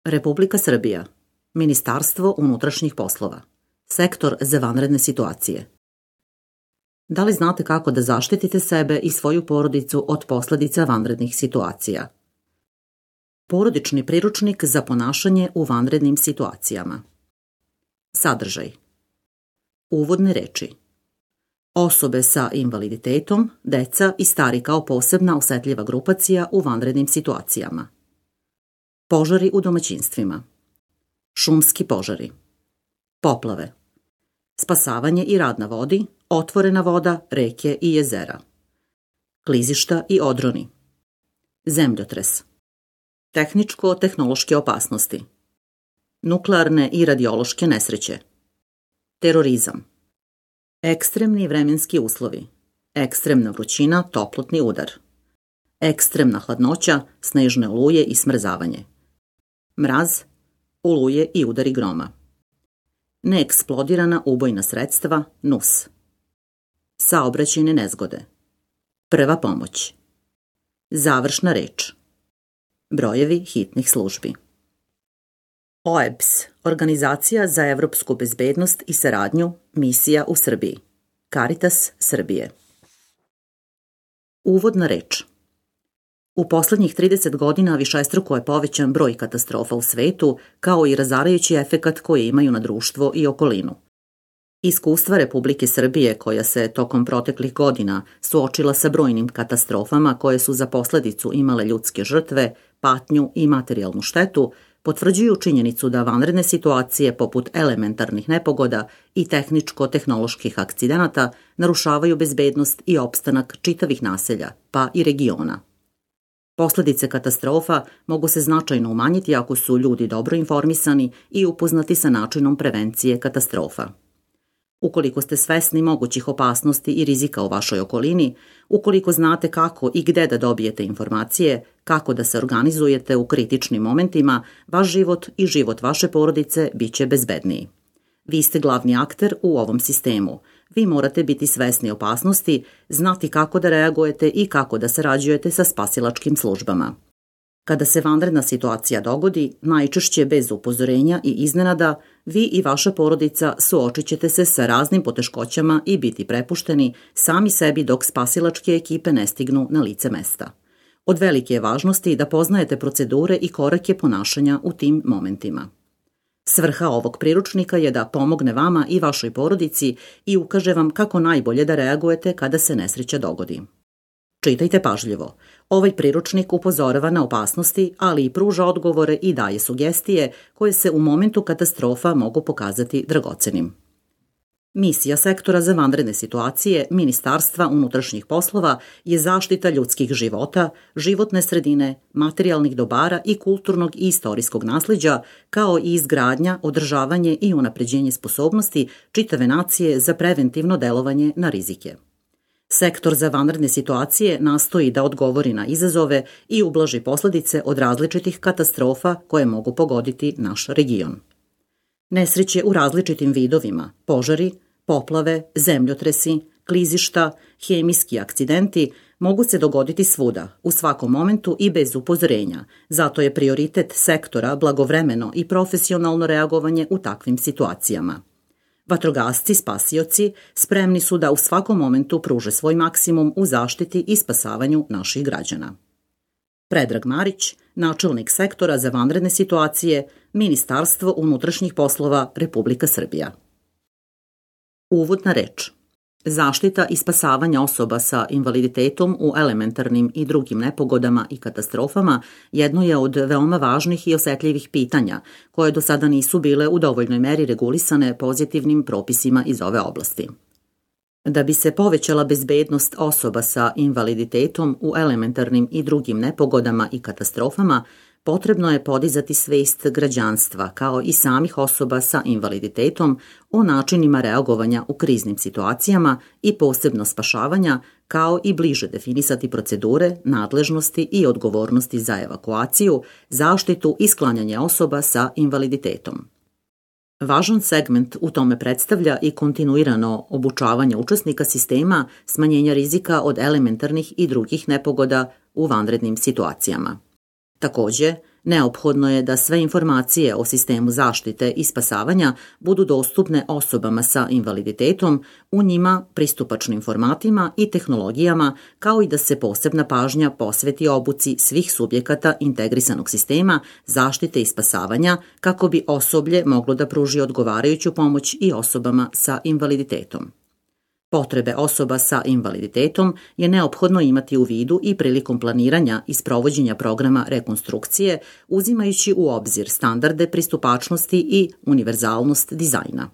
Republika Srbija, Ministarstvo unutrašnjih poslova, Sektor za vanredne situacije. Da li znate kako da zaštitite sebe i svoju porodicu od posledica vanrednih situacija? Porodični priručnik za ponašanje u vanrednim situacijama. Sadržaj. Uvodne reči. Osobe sa invaliditetom, deca i stari kao posebna osetljiva grupacija u vanrednim situacijama. Požari u domaćinstvima. Šumski požari. Poplave. Spasavanje i rad na vodi, otvorena voda, reke i jezera. Klizišta i odroni. Zemljotres. Tehničko-tehnološke opasnosti. Nuklearne i radiološke nesreće. Terorizam. Ekstremni vremenski uslovi. Ekstremna vrućina, toplotni udar. Ekstremna hladnoća, snežne oluje i smrzavanje. Mraz, oluje i udari groma. Neeksplodirana ubojna sredstva, NUS. Saobraćajne nezgode. Prva pomoć. Završna reč. Brojevi hitnih službi. OEBS, Organizacija za evropsku bezbednost i saradnju, misija u Srbiji. Caritas Srbije. Uvodna reč. U poslednjih 30 godina višestruko je povećan broj katastrofa u svetu, kao i razarajući efekat koje imaju na društvo i okolinu. Iskustva Republike Srbije, koja se tokom proteklih godina suočila sa brojnim katastrofama koje su za posledicu imale ljudske žrtve, patnju i materijalnu štetu, potvrđuju činjenicu da vanredne situacije poput elementarnih nepogoda i tehničko-tehnoloških akcidenata narušavaju bezbednost i opstanak čitavih naselja, pa i regiona. Posledice katastrofa mogu se značajno umanjiti ako su ljudi dobro informisani i upoznati sa načinom prevencije katastrofa. Ukoliko ste svesni mogućih opasnosti i rizika u vašoj okolini, ukoliko znate kako i gde da dobijete informacije, kako da se organizujete u kritičnim momentima, vaš život i život vaše porodice biće bezbedniji. Vi ste glavni akter u ovom sistemu. Vi morate biti svesni opasnosti, znati kako da reagujete i kako da sarađujete sa spasilačkim službama. Kada se vanredna situacija dogodi, najčešće bez upozorenja i iznenada, vi i vaša porodica suočit ćete se sa raznim poteškoćama i biti prepušteni sami sebi dok spasilačke ekipe ne stignu na lice mesta. Od velike je važnosti da poznajete procedure i korake ponašanja u tim momentima. Svrha ovog priručnika je da pomogne vama i vašoj porodici i ukaže vam kako najbolje da reagujete kada se nesreća dogodi. Čitajte pažljivo. Ovaj priručnik upozorava na opasnosti, ali i pruža odgovore i daje sugestije koje se u momentu katastrofa mogu pokazati dragocenim. Misija Sektora za vanredne situacije Ministarstva unutrašnjih poslova je zaštita ljudskih života, životne sredine, materijalnih dobara i kulturnog i istorijskog nasleđa, kao i izgradnja, održavanje i unapređenje sposobnosti čitave nacije za preventivno delovanje na rizike. Sektor za vanredne situacije nastoji da odgovori na izazove i ublaži posledice od različitih katastrofa koje mogu pogoditi naš region. Nesreće u različitim vidovima, požari, poplave, zemljotresi, klizišta, hemijski akcidenti mogu se dogoditi svuda, u svakom momentu i bez upozorenja, zato je prioritet sektora blagovremeno i profesionalno reagovanje u takvim situacijama. Vatrogasci, spasioci, spremni su da u svakom momentu pruže svoj maksimum u zaštiti i spasavanju naših građana. Predrag Marić, načelnik Sektora za vanredne situacije, Ministarstvo unutrašnjih poslova, Republika Srbija. Uvodna reč. Zaštita i spasavanje osoba sa invaliditetom u elementarnim i drugim nepogodama i katastrofama jedno je od veoma važnih i osetljivih pitanja koje do sada nisu bile u dovoljnoj meri regulisane pozitivnim propisima iz ove oblasti. Da bi se povećala bezbednost osoba sa invaliditetom u elementarnim i drugim nepogodama i katastrofama, potrebno je podizati svest građanstva kao i samih osoba sa invaliditetom o načinima reagovanja u kriznim situacijama i posebno spašavanja, kao i bliže definisati procedure, nadležnosti i odgovornosti za evakuaciju, zaštitu i sklanjanje osoba sa invaliditetom. Važan segment u tome predstavlja i kontinuirano obučavanje učesnika sistema smanjenja rizika od elementarnih i drugih nepogoda u vanrednim situacijama. Takođe, Neophodno je da sve informacije o sistemu zaštite i spasavanja budu dostupne osobama sa invaliditetom u njima pristupačnim formatima i tehnologijama, kao i da se posebna pažnja posveti obuci svih subjekata integrisanog sistema zaštite i spasavanja kako bi osoblje moglo da pruži odgovarajuću pomoć i osobama sa invaliditetom. Potrebe osoba sa invaliditetom je neophodno imati u vidu i prilikom planiranja i sprovođenja programa rekonstrukcije, uzimajući u obzir standarde pristupačnosti i univerzalnost dizajna.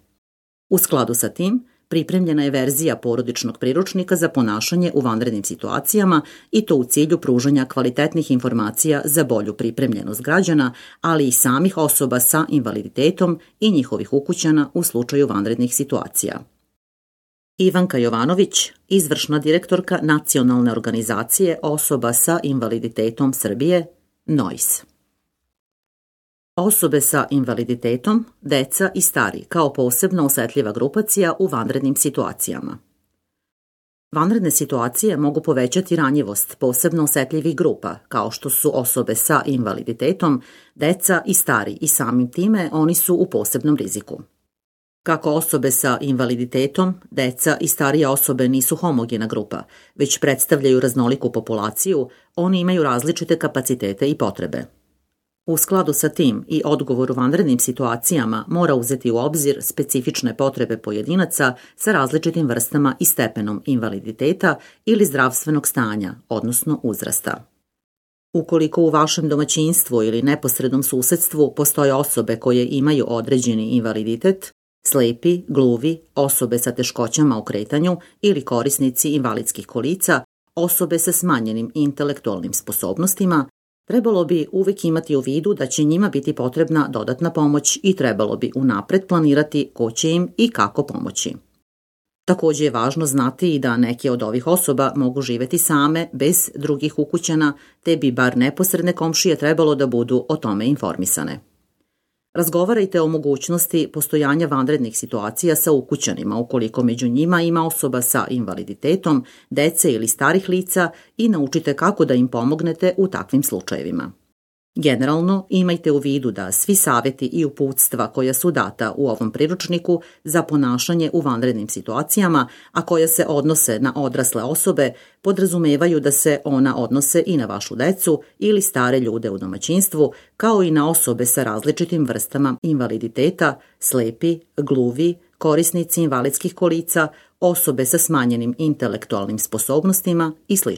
U skladu sa tim, pripremljena je verzija porodičnog priručnika za ponašanje u vanrednim situacijama i to u cilju pružanja kvalitetnih informacija za bolju pripremljenost građana, ali i samih osoba sa invaliditetom i njihovih ukućana u slučaju vanrednih situacija. Ivanka Jovanović, izvršna direktorka Nacionalne organizacije osoba sa invaliditetom Srbije, NOIS. Osobe sa invaliditetom, deca i stari kao posebno osetljiva grupacija u vanrednim situacijama. Vanredne situacije mogu povećati ranjivost posebno osetljivih grupa, kao što su osobe sa invaliditetom, deca i stari i samim time oni su u posebnom riziku. Kako osobe sa invaliditetom, deca i starije osobe nisu homogena grupa, već predstavljaju raznoliku populaciju, oni imaju različite kapacitete i potrebe. U skladu sa tim i odgovor u vanrednim situacijama mora uzeti u obzir specifične potrebe pojedinaca sa različitim vrstama i stepenom invaliditeta ili zdravstvenog stanja, odnosno uzrasta. Ukoliko u vašem domaćinstvu ili neposrednom susedstvu postoje osobe koje imaju određeni invaliditet, slepi, gluvi, osobe sa teškoćama u kretanju ili korisnici invalidskih kolica, osobe sa smanjenim intelektualnim sposobnostima, trebalo bi uvek imati u vidu da će njima biti potrebna dodatna pomoć i trebalo bi unapred planirati ko će im i kako pomoći. Takođe je važno znati i da neke od ovih osoba mogu živeti same, bez drugih ukućana, te bi bar neposredne komšije trebalo da budu o tome informisane. Razgovarajte o mogućnosti postojanja vanrednih situacija sa ukućanima ukoliko među njima ima osoba sa invaliditetom, dece ili starih lica i naučite kako da im pomognete u takvim slučajevima. Generalno, imajte u vidu da svi savjeti i uputstva koja su data u ovom priručniku za ponašanje u vanrednim situacijama, a koja se odnose na odrasle osobe, podrazumevaju da se ona odnose i na vašu decu ili stare ljude u domaćinstvu, kao i na osobe sa različitim vrstama invaliditeta, slepi, gluvi, korisnici invalidskih kolica, osobe sa smanjenim intelektualnim sposobnostima i sl.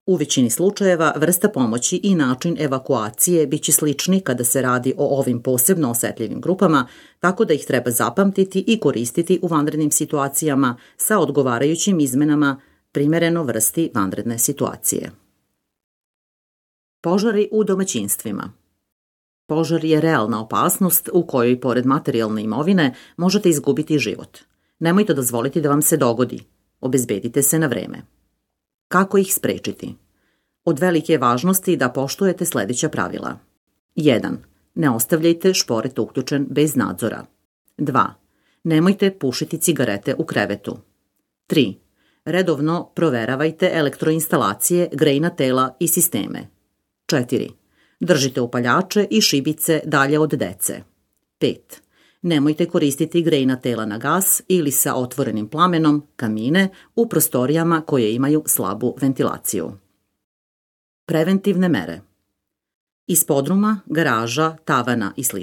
U većini slučajeva vrsta pomoći i način evakuacije biće slični kada se radi o ovim posebno osetljivim grupama, tako da ih treba zapamtiti i koristiti u vanrednim situacijama sa odgovarajućim izmenama primereno vrsti vanredne situacije. Požari u domaćinstvima. Požar je realna opasnost u kojoj, pored materijalne imovine, možete izgubiti život. Nemojte dozvoliti da vam se dogodi. Obezbedite se na vreme. Kako ih sprečiti? Od velike je važnosti da poštujete sledeća pravila. 1. Ne ostavljajte šporet uključen bez nadzora. 2. Nemojte pušiti cigarete u krevetu. 3. Redovno proveravajte elektroinstalacije, grejna tela i sisteme. 4. Držite upaljače i šibice dalje od dece. 5. Nemojte koristiti grejna tela na gas ili sa otvorenim plamenom, kamine, u prostorijama koje imaju slabu ventilaciju. Preventivne mere. Iz podruma, garaža, tavana i sl.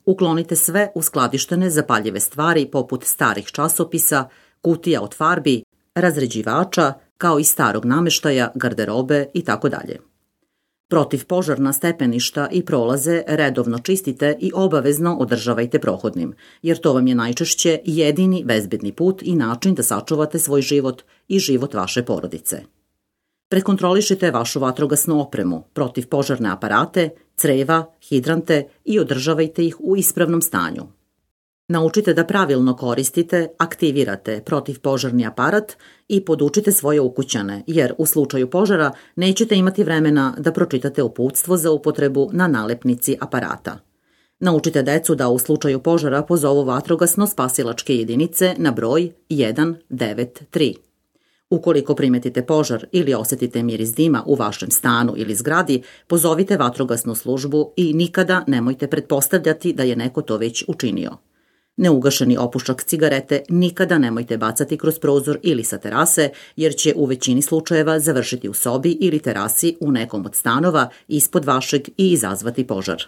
Uklonite sve uskladištene zapaljive stvari poput starih časopisa, kutija od farbi, razređivača, kao i starog nameštaja, garderobe itd. Protivpožarna stepeništa i prolaze redovno čistite i obavezno održavajte prohodnim, jer to vam je najčešće jedini bezbedni put i način da sačuvate svoj život i život vaše porodice. Prekontrolišite vašu vatrogasnu opremu, protivpožarne aparate, creva, hidrante i održavajte ih u ispravnom stanju. Naučite da pravilno koristite, aktivirate protivpožarni aparat i podučite svoje ukućane, jer u slučaju požara nećete imati vremena da pročitate uputstvo za upotrebu na nalepnici aparata. Naučite decu da u slučaju požara pozovu vatrogasno-spasilačke jedinice na broj 193. Ukoliko primetite požar ili osjetite miris dima u vašem stanu ili zgradi, pozovite vatrogasnu službu i nikada nemojte pretpostavljati da je neko to već učinio. Neugašeni opušak cigarete nikada nemojte bacati kroz prozor ili sa terase, jer će u većini slučajeva završiti u sobi ili terasi u nekom od stanova ispod vašeg i izazvati požar.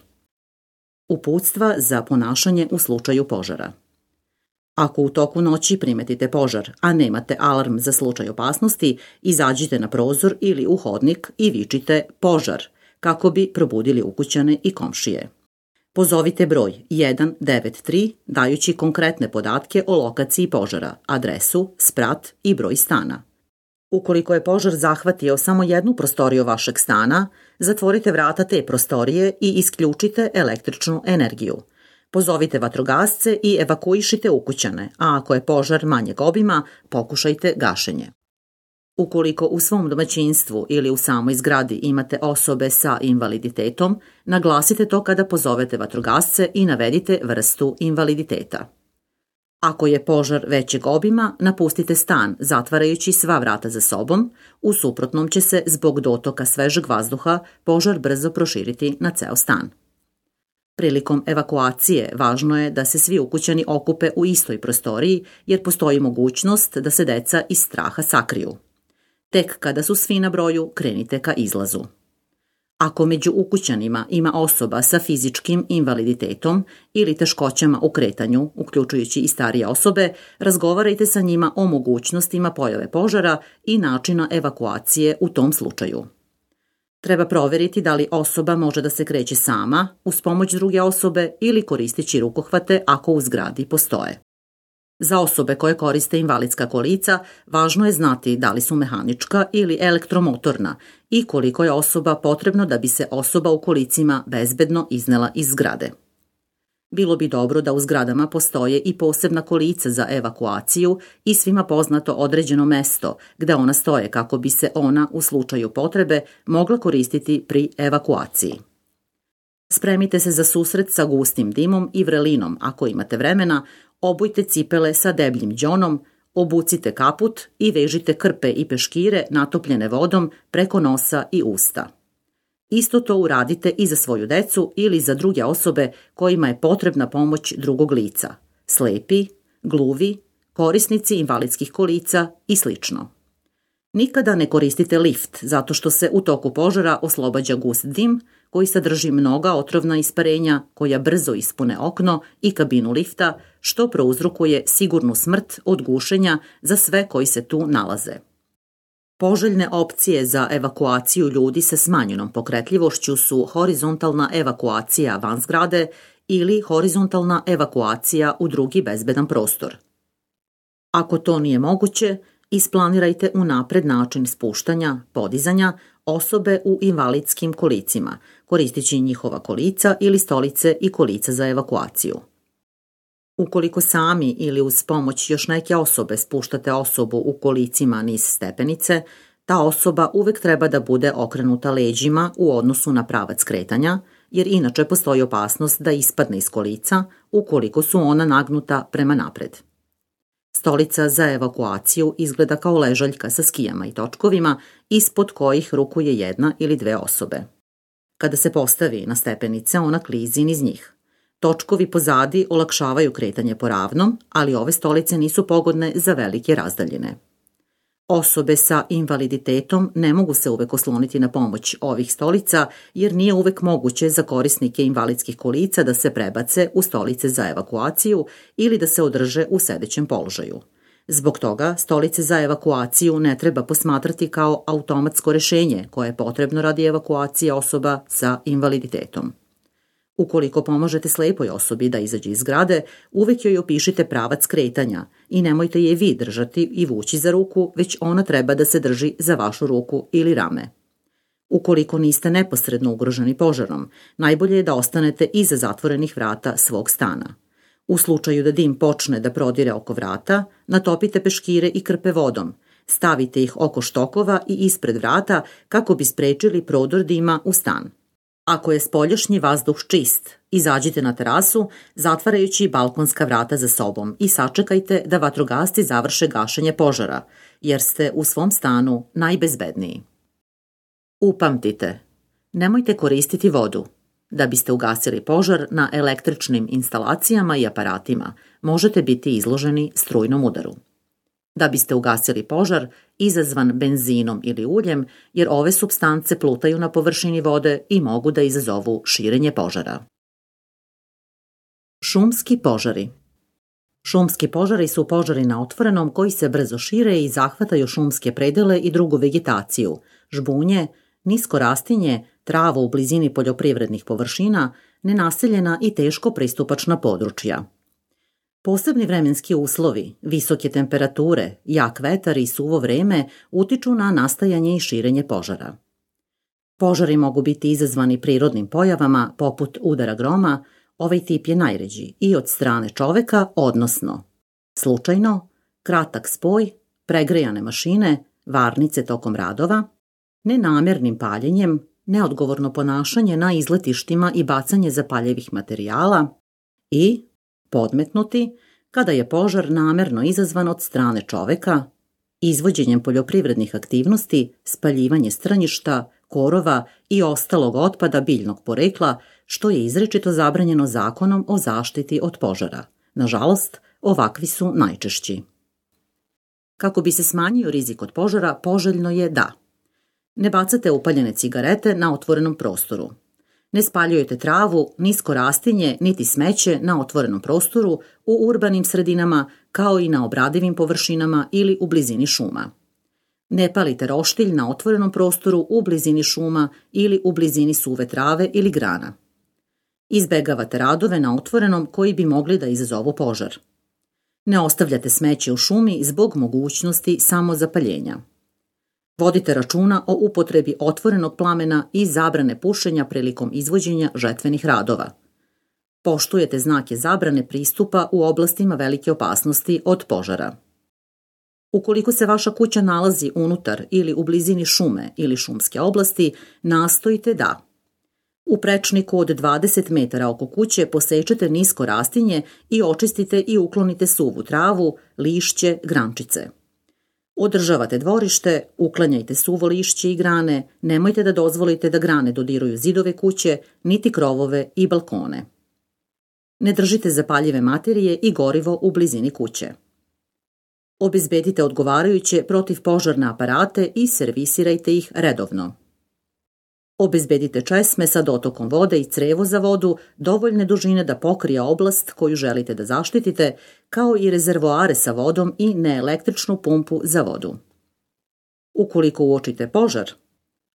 Uputstva za ponašanje u slučaju požara. Ako u toku noći primetite požar, a nemate alarm za slučaj opasnosti, izađite na prozor ili u hodnik i vičite požar, kako bi probudili ukućane i komšije. Pozovite broj 193 dajući konkretne podatke o lokaciji požara, adresu, sprat i broj stana. Ukoliko je požar zahvatio samo jednu prostoriju vašeg stana, zatvorite vrata te prostorije i isključite električnu energiju. Pozovite vatrogasce i evakuišite ukućane, a ako je požar manjeg obima, pokušajte gašenje. Ukoliko u svom domaćinstvu ili u samoj zgradi imate osobe sa invaliditetom, naglasite to kada pozovete vatrogasce i navedite vrstu invaliditeta. Ako je požar većeg obima, napustite stan zatvarajući sva vrata za sobom, u suprotnom će se zbog dotoka svežeg vazduha požar brzo proširiti na ceo stan. Prilikom evakuacije važno je da se svi ukućani okupe u istoj prostoriji jer postoji mogućnost da se deca iz straha sakriju. Tek kada su svi na broju, krenite ka izlazu. Ako među ukućanima ima osoba sa fizičkim invaliditetom ili teškoćama u kretanju, uključujući i starije osobe, razgovarajte sa njima o mogućnostima pojave požara i načina evakuacije u tom slučaju. Treba proveriti da li osoba može da se kreće sama, uz pomoć druge osobe ili koristeći rukohvate ako u zgradi postoje. Za osobe koje koriste invalidska kolica, važno je znati da li su mehanička ili elektromotorna i koliko je osoba potrebno da bi se osoba u kolicima bezbedno iznela iz zgrade. Bilo bi dobro da u zgradama postoje i posebna kolica za evakuaciju i svima poznato određeno mesto gde ona stoje kako bi se ona u slučaju potrebe mogla koristiti pri evakuaciji. Spremite se za susret sa gustim dimom i vrelinom ako imate vremena, obujte cipele sa debljim đonom, obucite kaput i vežite krpe i peškire natopljene vodom preko nosa i usta. Isto to uradite i za svoju decu ili za druge osobe kojima je potrebna pomoć drugog lica, slepi, gluvi, korisnici invalidskih kolica i sl. Nikada ne koristite lift zato što se u toku požara oslobađa gust dim koji sadrži mnoga otrovna isparenja koja brzo ispune okno i kabinu lifta, što prouzrokuje sigurnu smrt od gušenja za sve koji se tu nalaze. Poželjne opcije za evakuaciju ljudi sa smanjenom pokretljivošću su horizontalna evakuacija van zgrade ili horizontalna evakuacija u drugi bezbedan prostor. Ako to nije moguće, isplanirajte unapred način spuštanja, podizanja osobe u invalidskim kolicima, koristeći njihova kolica ili stolice i kolica za evakuaciju. Ukoliko sami ili uz pomoć još neke osobe spuštate osobu u kolicima niz stepenice, ta osoba uvek treba da bude okrenuta leđima u odnosu na pravac kretanja, jer inače postoji opasnost da ispadne iz kolica ukoliko su ona nagnuta prema napred. Stolica za evakuaciju izgleda kao ležaljka sa skijama i točkovima, ispod kojih rukuje jedna ili dve osobe. Kada se postavi na stepenice, ona klizi niz njih. Točkovi pozadi olakšavaju kretanje po ravnom, ali ove stolice nisu pogodne za velike razdaljine. Osobe sa invaliditetom ne mogu se uvek osloniti na pomoć ovih stolica, jer nije uvek moguće za korisnike invalidskih kolica da se prebace u stolice za evakuaciju ili da se održe u sedećem položaju. Zbog toga, stolice za evakuaciju ne treba posmatrati kao automatsko rešenje koje je potrebno radi evakuacije osoba sa invaliditetom. Ukoliko pomožete slepoj osobi da izađe iz zgrade, uvek joj opišite pravac kretanja i nemojte je vi držati i vući za ruku, već ona treba da se drži za vašu ruku ili rame. Ukoliko niste neposredno ugroženi požarom, najbolje je da ostanete iza zatvorenih vrata svog stana. U slučaju da dim počne da prodire oko vrata, natopite peškire i krpe vodom, stavite ih oko štokova i ispred vrata kako bi sprečili prodor dima u stan. Ako je spoljašnji vazduh čist, izađite na terasu zatvarajući balkonska vrata za sobom i sačekajte da vatrogasci završe gašenje požara, jer ste u svom stanu najbezbedniji. Upamtite, nemojte koristiti vodu. Da biste ugasili požar na električnim instalacijama i aparatima, možete biti izloženi strujnom udaru. Da biste ugasili požar izazvan benzinom ili uljem, jer ove supstance plutaju na površini vode i mogu da izazovu širenje požara. Šumski požari. Šumski požari su požari na otvorenom koji se brzo šire i zahvataju šumske predele i drugu vegetaciju, žbunje, nisko rastinje, travu u blizini poljoprivrednih površina, nenaseljena i teško pristupačna područja. Posebni vremenski uslovi, visoke temperature, jak vetar i suvo vreme utiču na nastajanje i širenje požara. Požari mogu biti izazvani prirodnim pojavama poput udara groma, ovaj tip je najređi, i od strane čoveka, odnosno slučajno, kratak spoj, pregrejane mašine, varnice tokom radova, nenamernim paljenjem, neodgovorno ponašanje na izletištima i bacanje zapaljivih materijala i podmetnuti kada je požar namerno izazvan od strane čoveka, izvođenjem poljoprivrednih aktivnosti, spaljivanje strnjišta, korova i ostalog otpada biljnog porekla, što je izričito zabranjeno Zakonom o zaštiti od požara. Nažalost, ovakvi su najčešći. Kako bi se smanjio rizik od požara, poželjno je da ne bacate upaljene cigarete na otvorenom prostoru, ne spaljujete travu, nisko rastinje niti smeće na otvorenom prostoru u urbanim sredinama kao i na obradivim površinama ili u blizini šuma. Ne palite roštilj na otvorenom prostoru u blizini šuma ili u blizini suve trave ili grana. Izbegavate radove na otvorenom koji bi mogli da izazovu požar. Ne ostavljate smeće u šumi zbog mogućnosti samozapaljenja. Vodite računa o upotrebi otvorenog plamena i zabrane pušenja prilikom izvođenja žetvenih radova. Poštujete znake zabrane pristupa u oblastima velike opasnosti od požara. Ukoliko se vaša kuća nalazi unutar ili u blizini šume ili šumske oblasti, nastojite da u prečniku od 20 metara oko kuće posečete nisko rastinje i očistite i uklonite suvu travu, lišće, grančice. Održavate dvorište, uklanjajte suvo lišće i grane, nemojte da dozvolite da grane dodiruju zidove kuće, niti krovove i balkone. Ne držite zapaljive materije i gorivo u blizini kuće. Obezbedite odgovarajuće protivpožarne aparate i servisirajte ih redovno. Obezbedite česme sa dotokom vode i crevo za vodu dovoljne dužine da pokrije oblast koju želite da zaštitite, kao i rezervoare sa vodom i neelektričnu pumpu za vodu. Ukoliko uočite požar,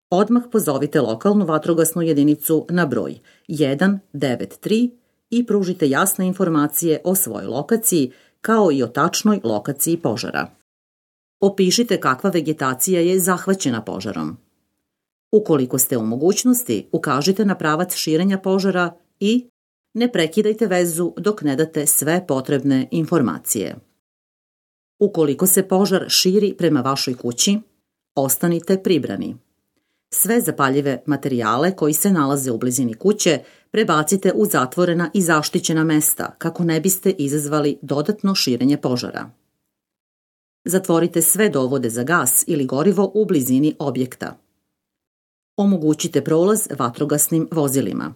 odmah pozovite lokalnu vatrogasnu jedinicu na broj 193 i pružite jasne informacije o svojoj lokaciji, kao i o tačnoj lokaciji požara. Opišite kakva vegetacija je zahvaćena požarom. Ukoliko ste u mogućnosti, ukažite na pravac širenja požara i ne prekidajte vezu dok ne date sve potrebne informacije. Ukoliko se požar širi prema vašoj kući, ostanite pribrani. Sve zapaljive materijale koji se nalaze u blizini kuće prebacite u zatvorena i zaštićena mesta kako ne biste izazvali dodatno širenje požara. Zatvorite sve dovode za gas ili gorivo u blizini objekta. Omogućite prolaz vatrogasnim vozilima.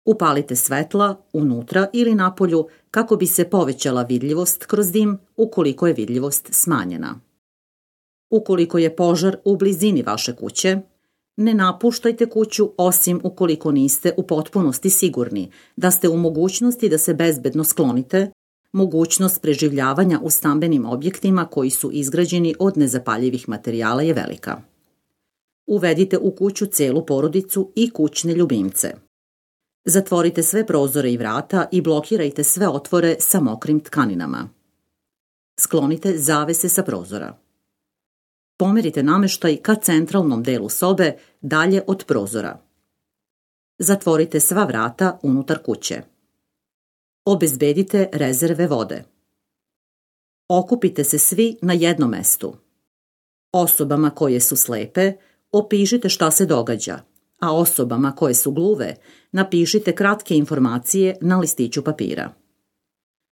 Upalite svetla unutra ili napolju kako bi se povećala vidljivost kroz dim ukoliko je vidljivost smanjena. Ukoliko je požar u blizini vaše kuće, ne napuštajte kuću osim ukoliko niste u potpunosti sigurni da ste u mogućnosti da se bezbedno sklonite. Mogućnost preživljavanja u stambenim objektima koji su izgrađeni od nezapaljivih materijala je velika. Uvedite u kuću celu porodicu i kućne ljubimce. Zatvorite sve prozore i vrata i blokirajte sve otvore sa mokrim tkaninama. Sklonite zavese sa prozora. Pomerite nameštaj ka centralnom delu sobe dalje od prozora. Zatvorite sva vrata unutar kuće. Obezbedite rezerve vode. Okupite se svi na jednom mestu. Osobama koje su slepe, opišite šta se događa, a osobama koje su gluve napišite kratke informacije na listiću papira.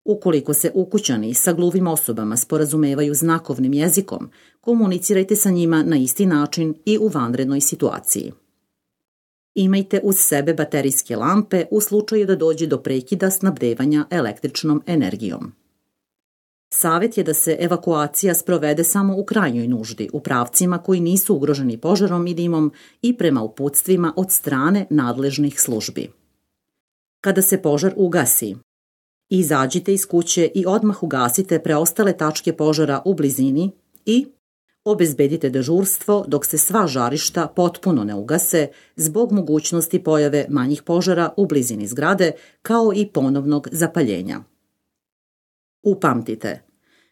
Ukoliko se ukućani sa gluvim osobama sporazumevaju znakovnim jezikom, komunicirajte sa njima na isti način i u vanrednoj situaciji. Imajte uz sebe baterijske lampe u slučaju da dođe do prekida snabdevanja električnom energijom. Savjet je da se evakuacija sprovede samo u krajnjoj nuždi, u pravcima koji nisu ugroženi požarom i dimom i prema uputstvima od strane nadležnih službi. Kada se požar ugasi, izađite iz kuće i odmah ugasite preostale tačke požara u blizini i obezbedite dežurstvo dok se sva žarišta potpuno ne ugase zbog mogućnosti pojave manjih požara u blizini zgrade kao i ponovnog zapaljenja. Upamtite,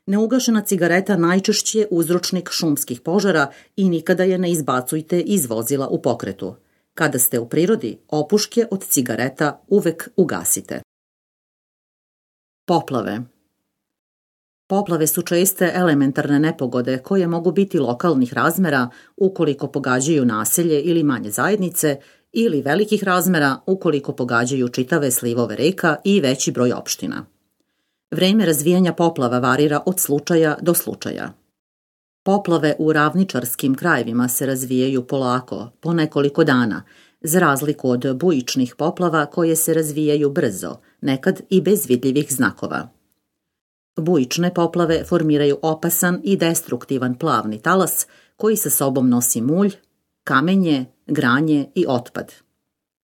neugašena cigareta najčešće je uzročnik šumskih požara i nikada je ne izbacujte iz vozila u pokretu. Kada ste u prirodi, opuške od cigareta uvek ugasite. Poplave. Poplave su česte elementarne nepogode koje mogu biti lokalnih razmera ukoliko pogađaju naselje ili manje zajednice ili velikih razmera ukoliko pogađaju čitave slivove reka i veći broj opština. Vreme razvijanja poplava varira od slučaja do slučaja. Poplave u ravničarskim krajevima se razvijaju polako, po nekoliko dana, za razliku od bujičnih poplava koje se razvijaju brzo, nekad i bez vidljivih znakova. Bujične poplave formiraju opasan i destruktivan plavni talas koji sa sobom nosi mulj, kamenje, granje i otpad.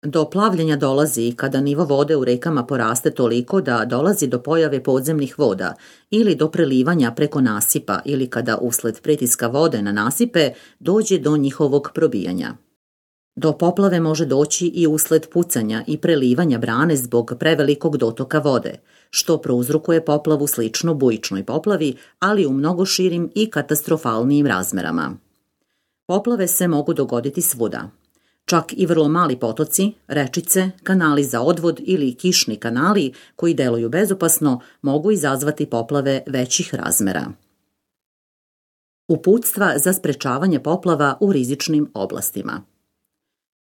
Do plavljenja dolazi i kada nivo vode u rekama poraste toliko da dolazi do pojave podzemnih voda ili do prelivanja preko nasipa ili kada usled pritiska vode na nasipe dođe do njihovog probijanja. Do poplave može doći i usled pucanja i prelivanja brane zbog prevelikog dotoka vode, što prouzrokuje poplavu sličnu bujičnoj poplavi, ali u mnogo širim i katastrofalnijim razmerama. Poplave se mogu dogoditi svuda. Čak i vrlo mali potoci, rečice, kanali za odvod ili kišni kanali koji deluju bezopasno mogu izazvati poplave većih razmera. Uputstva za sprečavanje poplava u rizičnim oblastima.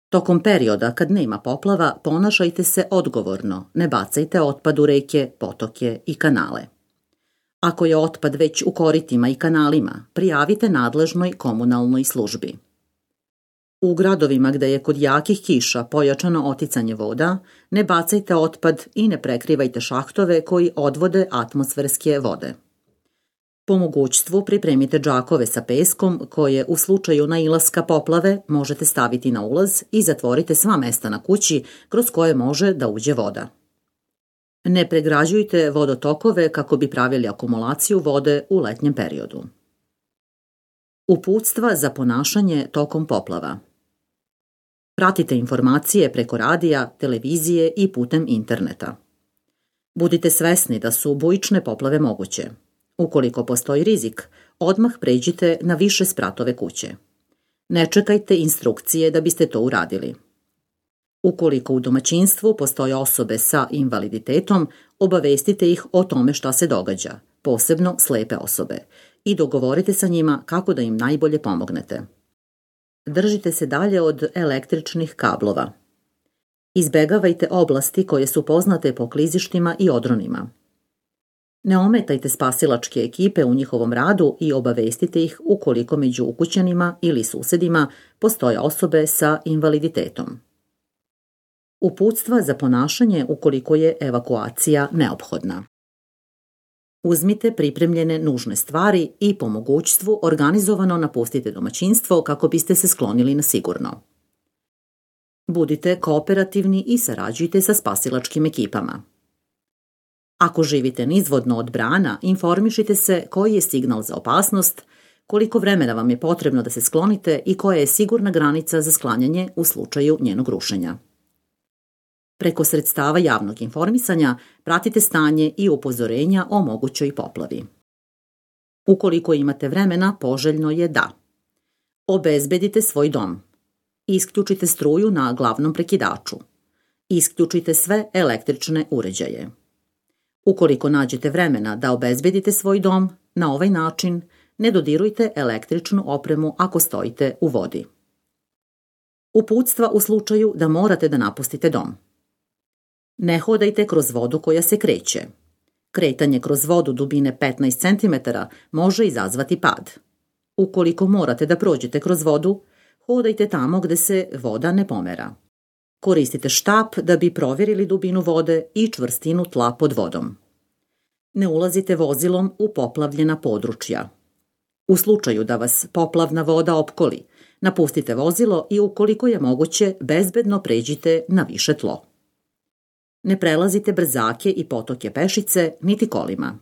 Tokom perioda kad nema poplava, ponašajte se odgovorno, ne bacajte otpad u reke, potoke i kanale. Ako je otpad već u koritima i kanalima, prijavite nadležnoj komunalnoj službi. U gradovima gde je kod jakih kiša pojačano oticanje voda, ne bacajte otpad i ne prekrivajte šahtove koji odvode atmosferske vode. Po mogućstvu pripremite džakove sa peskom koje u slučaju nailaska poplave možete staviti na ulaz i zatvorite sva mesta na kući kroz koje može da uđe voda. Ne pregrađujte vodotokove kako bi pravili akumulaciju vode u letnjem periodu. Uputstva za ponašanje tokom poplava. Pratite informacije preko radija, televizije i putem interneta. Budite svesni da su bujične poplave moguće. Ukoliko postoji rizik, odmah pređite na više spratove kuće. Ne čekajte instrukcije da biste to uradili. Ukoliko u domaćinstvu postoje osobe sa invaliditetom, obavestite ih o tome šta se događa, posebno slepe osobe, i dogovorite sa njima kako da im najbolje pomognete. Držite se dalje od električnih kablova. Izbegavajte oblasti koje su poznate po klizištima i odronima. Ne ometajte spasilačke ekipe u njihovom radu i obavestite ih ukoliko među ukućanima ili susedima postoje osobe sa invaliditetom. Uputstva za ponašanje ukoliko je evakuacija neophodna. Uzmite pripremljene nužne stvari i po mogućstvu organizovano napustite domaćinstvo kako biste se sklonili na sigurno. Budite kooperativni i sarađujte sa spasilačkim ekipama. Ako živite nizvodno od brana, informišite se koji je signal za opasnost, koliko vremena vam je potrebno da se sklonite i koja je sigurna granica za sklanjanje u slučaju njenog rušenja. Preko sredstava javnog informisanja pratite stanje i upozorenja o mogućoj poplavi. Ukoliko imate vremena, poželjno je da obezbedite svoj dom. Isključite struju na glavnom prekidaču. Isključite sve električne uređaje. Ukoliko nađete vremena da obezbedite svoj dom, na ovaj način ne dodirujte električnu opremu ako stojite u vodi. Uputstva u slučaju da morate da napustite dom. Ne hodajte kroz vodu koja se kreće. Kretanje kroz vodu dubine 15 cm može izazvati pad. Ukoliko morate da prođete kroz vodu, hodajte tamo gde se voda ne pomera. Koristite štap da bi provjerili dubinu vode i čvrstinu tla pod vodom. Ne ulazite vozilom u poplavljena područja. U slučaju da vas poplavna voda opkoli, napustite vozilo i ukoliko je moguće, bezbedno pređite na više tlo. Ne prelazite brzake i potoke pešice, niti kolima.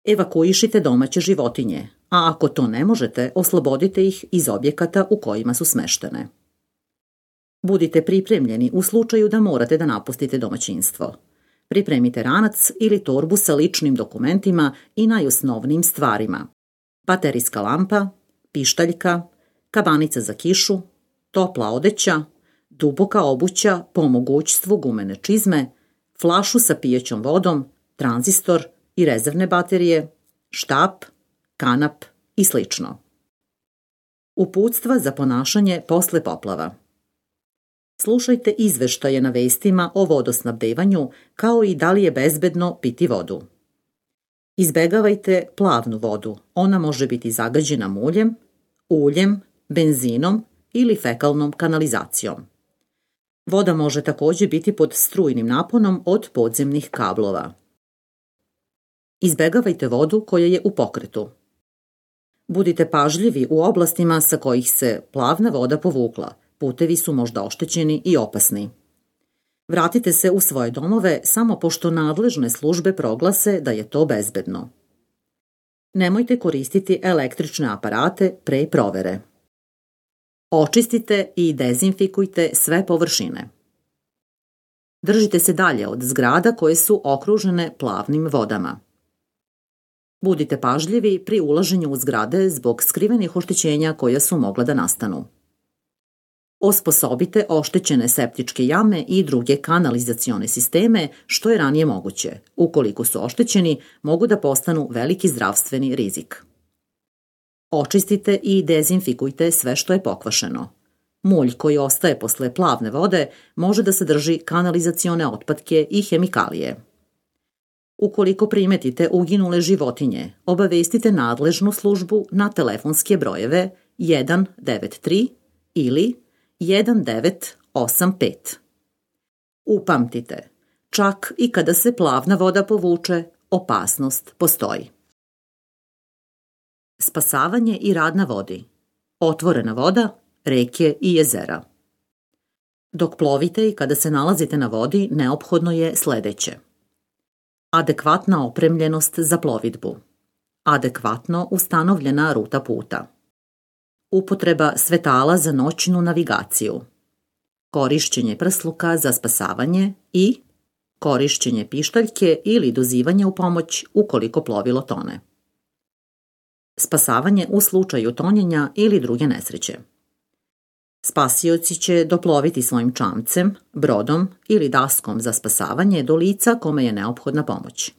Evakuišite domaće životinje, a ako to ne možete, oslobodite ih iz objekata u kojima su smeštene. Budite pripremljeni u slučaju da morate da napustite domaćinstvo. Pripremite ranac ili torbu sa ličnim dokumentima i najosnovnijim stvarima. Baterijska lampa, pištaljka, kabanica za kišu, topla odeća, duboka obuća, po mogućstvu gumene čizme, flašu sa pijećom vodom, tranzistor i rezervne baterije, štap, kanap i sl. Uputstva za ponašanje posle poplava. Slušajte izveštaje na vestima o vodosnabdevanju, kao i da li je bezbedno piti vodu. Izbegavajte plavnu vodu, ona može biti zagađena muljem, uljem, benzinom ili fekalnom kanalizacijom. Voda može takođe biti pod strujnim naponom od podzemnih kablova. Izbegavajte vodu koja je u pokretu. Budite pažljivi u oblastima sa kojih se plavna voda povukla, putevi su možda oštećeni i opasni. Vratite se u svoje domove samo pošto nadležne službe proglase da je to bezbedno. Nemojte koristiti električne aparate pre provere. Očistite i dezinfikujte sve površine. Držite se dalje od zgrada koje su okružene plavnim vodama. Budite pažljivi pri ulaženju u zgrade zbog skrivenih oštećenja koja su mogla da nastanu. Osposobite oštećene septičke jame i druge kanalizacione sisteme što je ranije moguće. Ukoliko su oštećeni, mogu da postanu veliki zdravstveni rizik. Očistite i dezinfikujte sve što je pokvašeno. Mulj koji ostaje posle plavne vode može da sadrži kanalizacione otpadke i hemikalije. Ukoliko primetite uginule životinje, obavestite nadležnu službu na telefonske brojeve 193 ili 1985. Upamtite, čak i kada se plavna voda povuče, opasnost postoji. Spasavanje i rad na vodi. Otvorena voda, reke i jezera. Dok plovite i kada se nalazite na vodi, neophodno je sledeće. Adekvatna opremljenost za plovidbu. Adekvatno ustanovljena ruta puta. Upotreba svetala za noćnu navigaciju. Korišćenje prsluka za spasavanje i korišćenje pištaljke ili dozivanje u pomoć ukoliko plovilo tone. Spasavanje u slučaju tonjenja ili druge nesreće. Spasioci će doploviti svojim čamcem, brodom ili daskom za spasavanje do lica kome je neophodna pomoć.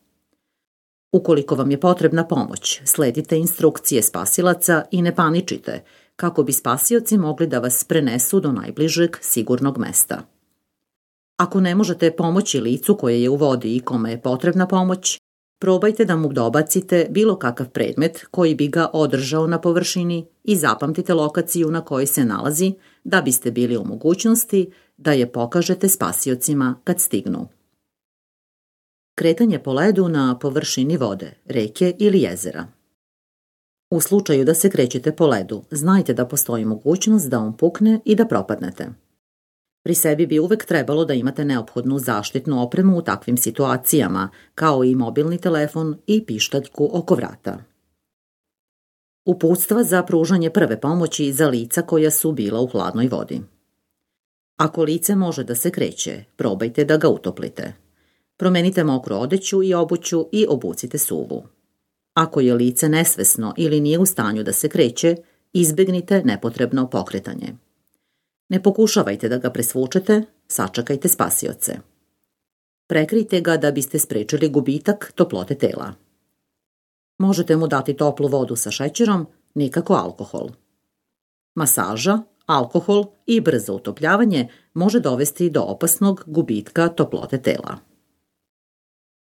Ukoliko vam je potrebna pomoć, sledite instrukcije spasilaca i ne paničite, kako bi spasioci mogli da vas prenesu do najbližeg sigurnog mesta. Ako ne možete pomoći licu koje je u vodi i kome je potrebna pomoć, probajte da mu dobacite bilo kakav predmet koji bi ga održao na površini i zapamtite lokaciju na kojoj se nalazi da biste bili u mogućnosti da je pokažete spasiocima kad stignu. Kretanje po ledu na površini vode, reke ili jezera. U slučaju da se krećete po ledu, znajte da postoji mogućnost da on pukne i da propadnete. Pri sebi bi uvek trebalo da imate neophodnu zaštitnu opremu u takvim situacijama, kao i mobilni telefon i pištaljku oko vrata. Uputstva za pružanje prve pomoći za lica koja su bila u hladnoj vodi. Ako lice može da se kreće, probajte da ga utoplite. Promenite mokru odeću i obuću i obucite suvu. Ako je lice nesvesno ili nije u stanju da se kreće, izbegnite nepotrebno pokretanje. Ne pokušavajte da ga presvučete, sačekajte spasioce. Prekrijte ga da biste sprečili gubitak toplote tela. Možete mu dati toplu vodu sa šećerom, nikako alkohol. Masaža, Alkohol i brzo utopljavanje može dovesti do opasnog gubitka toplote tela.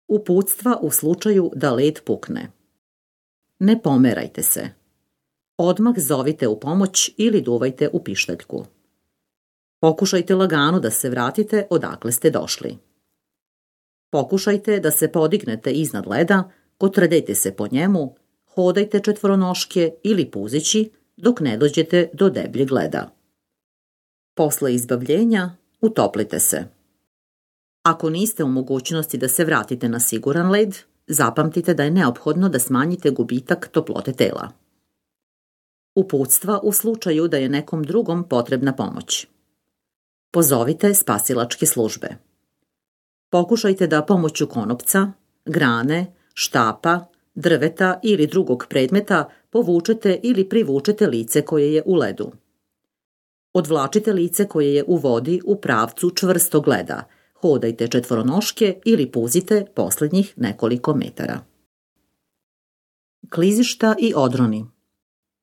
Uputstva u slučaju da led pukne. Ne pomerajte se. Odmah zovite u pomoć ili duvajte u pištaljku. Pokušajte lagano da se vratite odakle ste došli. Pokušajte da se podignete iznad leda, kotrljajte se po njemu, hodajte četvoronoške ili puzeći dok ne dođete do debljeg leda. Posle izbavljenja utoplite se. Ako niste u mogućnosti da se vratite na siguran led, zapamtite da je neophodno da smanjite gubitak toplote tela. Uputstva u slučaju da je nekom drugom potrebna pomoć. Pozovite spasilačke službe. Pokušajte da pomoću konopca, grane, štapa, drveta ili drugog predmeta povučete ili privučete lice koje je u ledu. Odvlačite lice koje je u vodi u pravcu čvrstog leda. Hodajte četvoronoške ili puzite posljednjih nekoliko metara. Klizišta i odroni.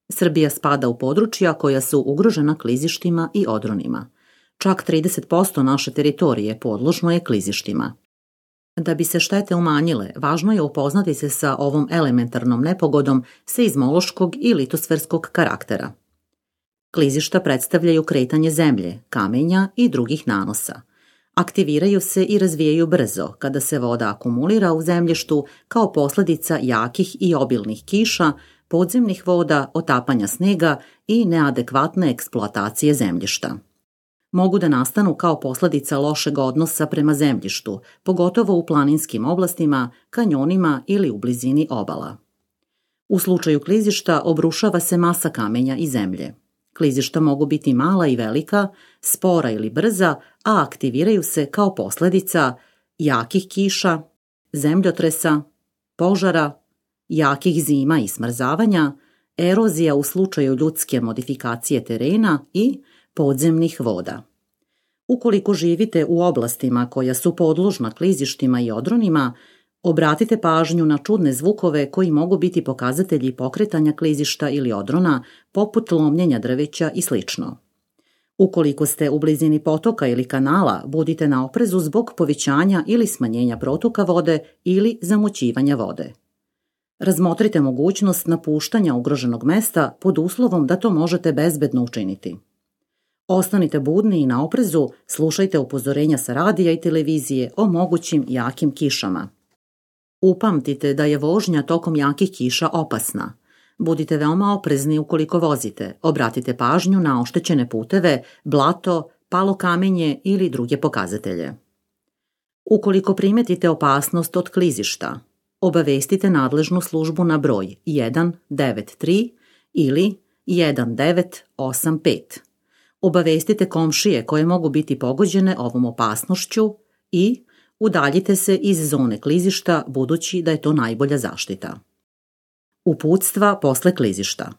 Srbija spada u područja koja su ugrožena klizištima i odronima. Čak 30% naše teritorije podložno je klizištima. Da bi se štete umanjile, važno je upoznati se sa ovom elementarnom nepogodom seizmološkog i litosferskog karaktera. Klizišta predstavljaju kretanje zemlje, kamenja i drugih nanosa. Aktiviraju se i razvijaju brzo kada se voda akumulira u zemljištu kao posljedica jakih i obilnih kiša, podzemnih voda, otapanja snega i neadekvatne eksploatacije zemljišta. Mogu da nastanu kao posljedica lošeg odnosa prema zemljištu, pogotovo u planinskim oblastima, kanjonima ili u blizini obala. U slučaju klizišta obrušava se masa kamenja i zemlje. Klizišta mogu biti mala i velika, spora ili brza, a aktiviraju se kao posljedica jakih kiša, zemljotresa, požara, jakih zima i smrzavanja, erozija u slučaju ljudske modifikacije terena i podzemnih voda. Ukoliko živite u oblastima koja su podložna klizištima i odronima, obratite pažnju na čudne zvukove koji mogu biti pokazatelji pokretanja klizišta ili odrona, poput lomljenja drveća i sl. Ukoliko ste u blizini potoka ili kanala, budite na oprezu zbog povećanja ili smanjenja protoka vode ili zamućivanja vode. Razmotrite mogućnost napuštanja ugroženog mesta pod uslovom da to možete bezbedno učiniti. Ostanite budni i na oprezu, slušajte upozorenja sa radija i televizije o mogućim jakim kišama. Upamtite da je vožnja tokom jakih kiša opasna. Budite veoma oprezni ukoliko vozite, obratite pažnju na oštećene puteve, blato, palo kamenje ili druge pokazatelje. Ukoliko primetite opasnost od klizišta, obavestite nadležnu službu na broj 193 ili 1985. Obavestite komšije koje mogu biti pogođene ovom opasnošću i udaljite se iz zone klizišta budući da je to najbolja zaštita. Uputstva posle klizišta.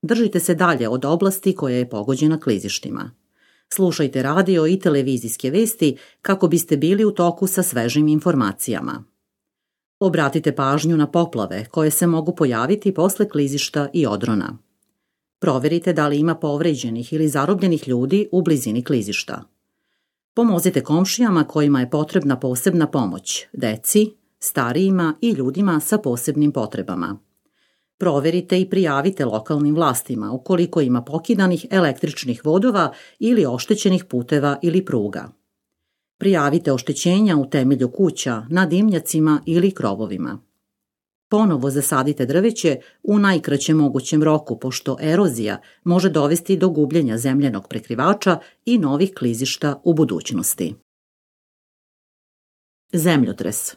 Držite se dalje od oblasti koja je pogođena klizištima. Slušajte radio i televizijske vesti kako biste bili u toku sa svežim informacijama. Obratite pažnju na poplave koje se mogu pojaviti posle klizišta i odrona. Proverite da li ima povređenih ili zarobljenih ljudi u blizini klizišta. Pomozite komšijama kojima je potrebna posebna pomoć, deci, starijima i ljudima sa posebnim potrebama. Proverite i prijavite lokalnim vlastima ukoliko ima pokidanih električnih vodova ili oštećenih puteva ili pruga. Prijavite oštećenja u temelju kuća, na dimnjacima ili krovovima. Ponovo zasadite drveće u najkraćem mogućem roku, pošto erozija može dovesti do gubljenja zemljanog prekrivača i novih klizišta u budućnosti. Zemljotres.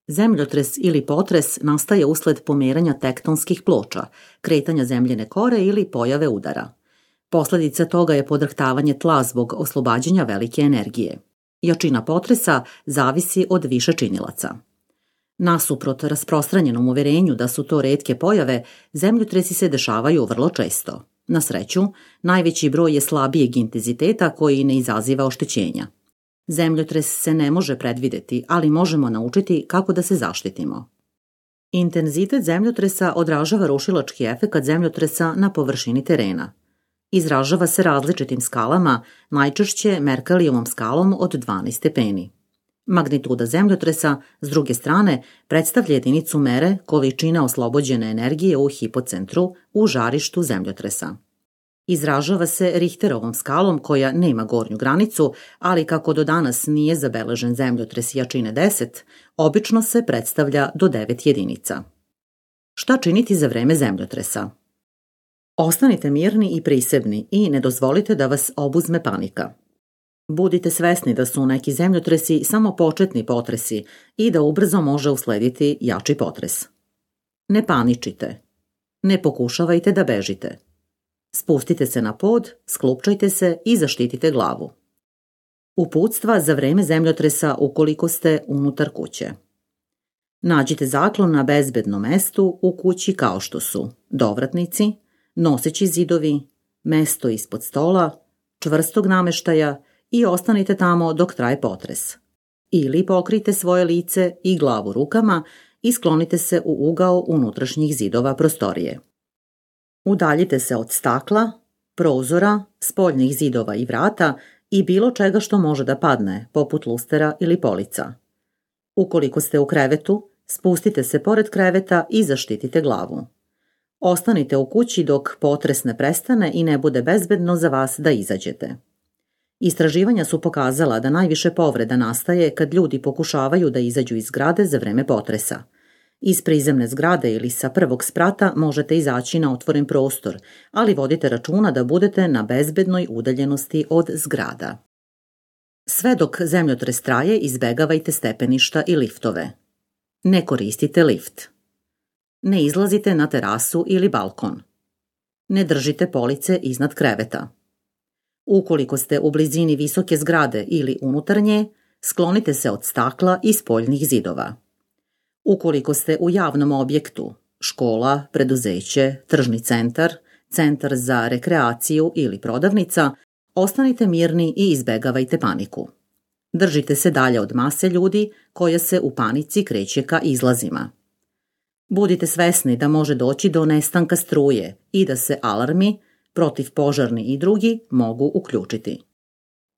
Zemljotres ili potres nastaje usled pomeranja tektonskih ploča, kretanja zemljene kore ili pojave udara. Posljedica toga je podrhtavanje tla zbog oslobađanja velike energije. Jačina potresa zavisi od više činilaca. Nasuprot rasprostranjenom uverenju da su to retke pojave, zemljotresi se dešavaju vrlo često. Na sreću, najveći broj je slabijeg intenziteta koji ne izaziva oštećenja. Zemljotres se ne može predvideti, ali možemo naučiti kako da se zaštitimo. Intenzitet zemljotresa odražava rušilački efekat zemljotresa na površini terena. Izražava se različitim skalama, najčešće Merkelijevom skalom od 12 stepeni. Magnituda zemljotresa, s druge strane, predstavlja jedinicu mere količine oslobođene energije u hipocentru u žarištu zemljotresa. Izražava se Richterovom skalom koja nema gornju granicu, ali kako do danas nije zabeležen zemljotres jačine 10, obično se predstavlja do 9 jedinica. Šta činiti za vreme zemljotresa? Ostanite mirni i prisebni i ne dozvolite da vas obuzme panika. Budite svesni da su neki zemljotresi samo početni potresi i da ubrzo može uslediti jači potres. Ne paničite. Ne pokušavajte da bežite. Spustite se na pod, sklupčajte se i zaštitite glavu. Uputstva za vreme zemljotresa ukoliko ste unutar kuće. Nađite zaklon na bezbednom mestu u kući kao što su dovratnici, noseći zidovi, mesto ispod stola, čvrstog nameštaja i ostanite tamo dok traje potres. Ili pokrijte svoje lice i glavu rukama i sklonite se u ugao unutrašnjih zidova prostorije. Udaljite se od stakla, prozora, spoljnih zidova i vrata i bilo čega što može da padne, poput lustera ili polica. Ukoliko ste u krevetu, spustite se pored kreveta i zaštitite glavu. Ostanite u kući dok potres ne prestane i ne bude bezbedno za vas da izađete. Istraživanja su pokazala da najviše povreda nastaje kad ljudi pokušavaju da izađu iz zgrade za vreme potresa. Iz prizemne zgrade ili sa prvog sprata možete izaći na otvoren prostor, ali vodite računa da budete na bezbednoj udaljenosti od zgrada. Sve dok zemljotres traje, izbegavajte stepeništa i liftove. Ne koristite lift. Ne izlazite na terasu ili balkon. Ne držite police iznad kreveta. Ukoliko ste u blizini visoke zgrade ili unutar nje, sklonite se od stakla i spoljnih zidova. Ukoliko ste u javnom objektu, škola, preduzeće, tržni centar, centar za rekreaciju ili prodavnica, ostanite mirni i izbegavajte paniku. Držite se dalje od mase ljudi koja se u panici kreće ka izlazima. Budite svesni da može doći do nestanka struje i da se alarmi, protivpožarni i drugi, mogu uključiti.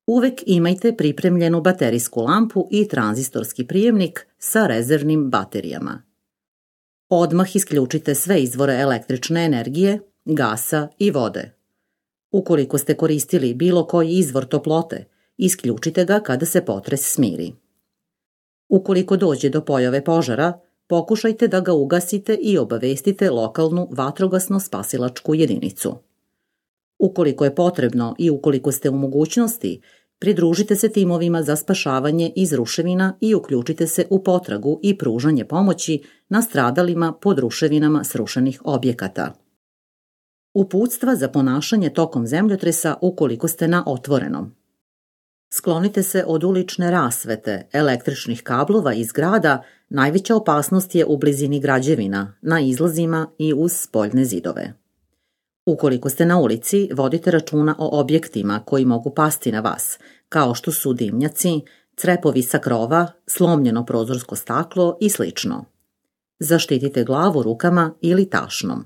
Uvek imajte pripremljenu baterijsku lampu i tranzistorski prijemnik sa rezervnim baterijama. Odmah isključite sve izvore električne energije, gasa i vode. Ukoliko ste koristili bilo koji izvor toplote, isključite ga kada se potres smiri. Ukoliko dođe do pojave požara, pokušajte da ga ugasite i obavestite lokalnu vatrogasno-spasilačku jedinicu. Ukoliko je potrebno i ukoliko ste u mogućnosti, pridružite se timovima za spašavanje iz ruševina i uključite se u potragu i pružanje pomoći nastradalima pod ruševinama srušenih objekata. Uputstva za ponašanje tokom zemljotresa ukoliko ste na otvorenom. Sklonite se od ulične rasvete, električnih kablova i zgrada, najveća opasnost je u blizini građevina, na izlazima i uz spoljne zidove. Ukoliko ste na ulici, vodite računa o objektima koji mogu pasti na vas, kao što su dimnjaci, crepovi sa krova, slomljeno prozorsko staklo i sl. Zaštitite glavu rukama ili tašnom.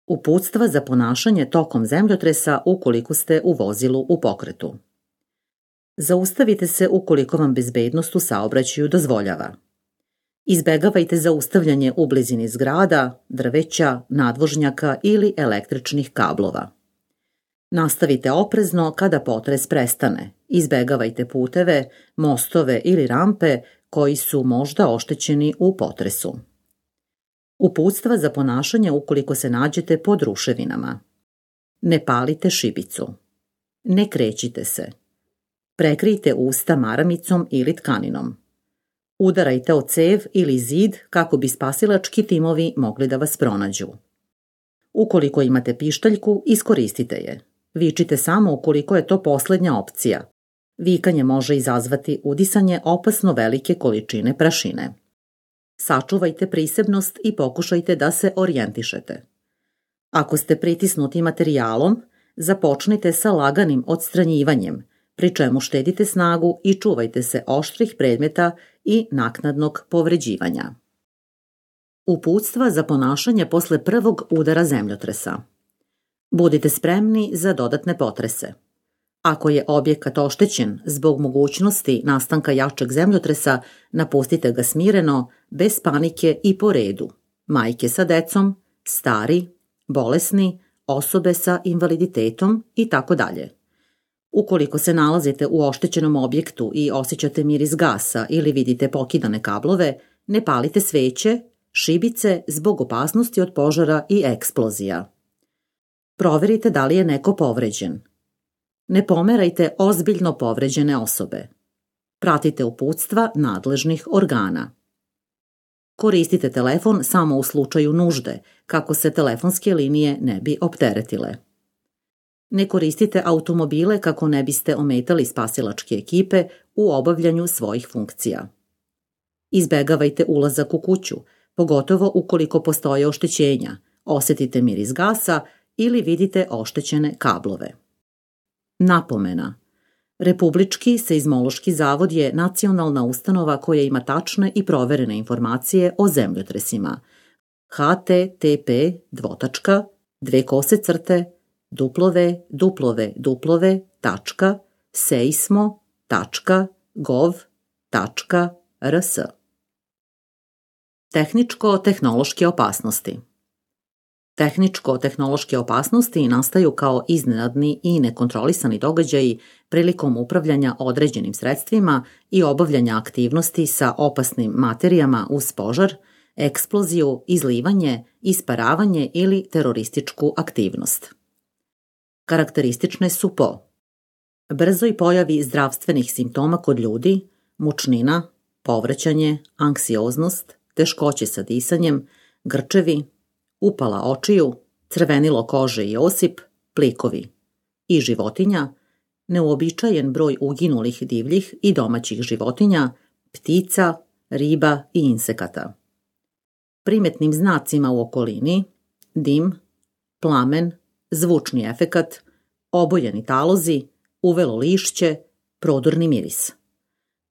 Uputstva za ponašanje tokom zemljotresa ukoliko ste u vozilu u pokretu. Zaustavite se ukoliko vam bezbednost u saobraćaju dozvoljava. Izbegavajte zaustavljanje u blizini zgrada, drveća, nadvožnjaka ili električnih kablova. Nastavite oprezno kada potres prestane. Izbegavajte puteve, mostove ili rampe koji su možda oštećeni u potresu. Uputstva za ponašanje ukoliko se nađete pod ruševinama. Ne palite šibicu. Ne krećite se. Prekrijte usta maramicom ili tkaninom. Udarajte o cev ili zid kako bi spasilački timovi mogli da vas pronađu. Ukoliko imate pištaljku, iskoristite je. Vičite samo ukoliko je to poslednja opcija. Vikanje može izazvati udisanje opasno velike količine prašine. Sačuvajte prisebnost i pokušajte da se orijentišete. Ako ste pritisnuti materijalom, započnite sa laganim odstranjivanjem, pri čemu štedite snagu i čuvajte se oštrih predmeta i naknadnog povređivanja. Uputstva za ponašanje posle prvog udara zemljotresa. Budite spremni za dodatne potrese. Ako je objekat oštećen zbog mogućnosti nastanka jačeg zemljotresa, napustite ga smireno, bez panike i po redu. Majke sa decom, stari, bolesni, osobe sa invaliditetom i tako dalje. Ukoliko se nalazite u oštećenom objektu i osjećate miris gasa ili vidite pokidane kablove, ne palite sveće, šibice zbog opasnosti od požara i eksplozija. Proverite da li je neko povređen. Ne pomerajte ozbiljno povređene osobe. Pratite uputstva nadležnih organa. Koristite telefon samo u slučaju nužde, kako se telefonske linije ne bi opteretile. Ne koristite automobile kako ne biste ometali spasilačke ekipe u obavljanju svojih funkcija. Izbegavajte ulazak u kuću, pogotovo ukoliko postoje oštećenja, osjetite miris gasa ili vidite oštećene kablove. Napomena. Republički seizmološki zavod je nacionalna ustanova koja ima tačne i proverene informacije o zemljotresima. http://www.seismo.gov.rs. Tehničko-tehnološke opasnosti. Tehničko-tehnološke opasnosti nastaju kao iznenadni i nekontrolisani događaji prilikom upravljanja određenim sredstvima i obavljanja aktivnosti sa opasnim materijama uz požar, eksploziju, izlivanje, isparavanje ili terorističku aktivnost. Karakteristične su po brzoj pojavi zdravstvenih simptoma kod ljudi, mučnina, povraćanje, anksioznost, teškoće sa disanjem, grčevi, upala očiju, crvenilo kože i osip, plikovi. I životinja, neuobičajen broj uginulih divljih i domaćih životinja, ptica, riba i insekata. Primetnim znacima u okolini, dim, plamen, zvučni efekat, obojeni talozi, uvelo lišće, prodorni miris.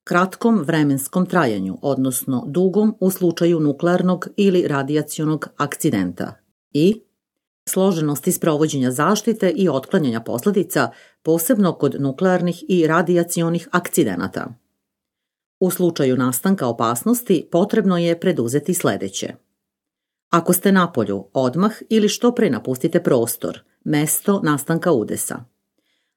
Kratkom vremenskom trajanju, odnosno dugom u slučaju nuklearnog ili radijacionog akcidenta i složenosti sprovođenja zaštite i otklanjanja posledica, posebno kod nuklearnih i radijacionih akcidenata. U slučaju nastanka opasnosti potrebno je preduzeti sledeće. Ako ste napolju, odmah ili što pre napustite prostor, mesto nastanka udesa.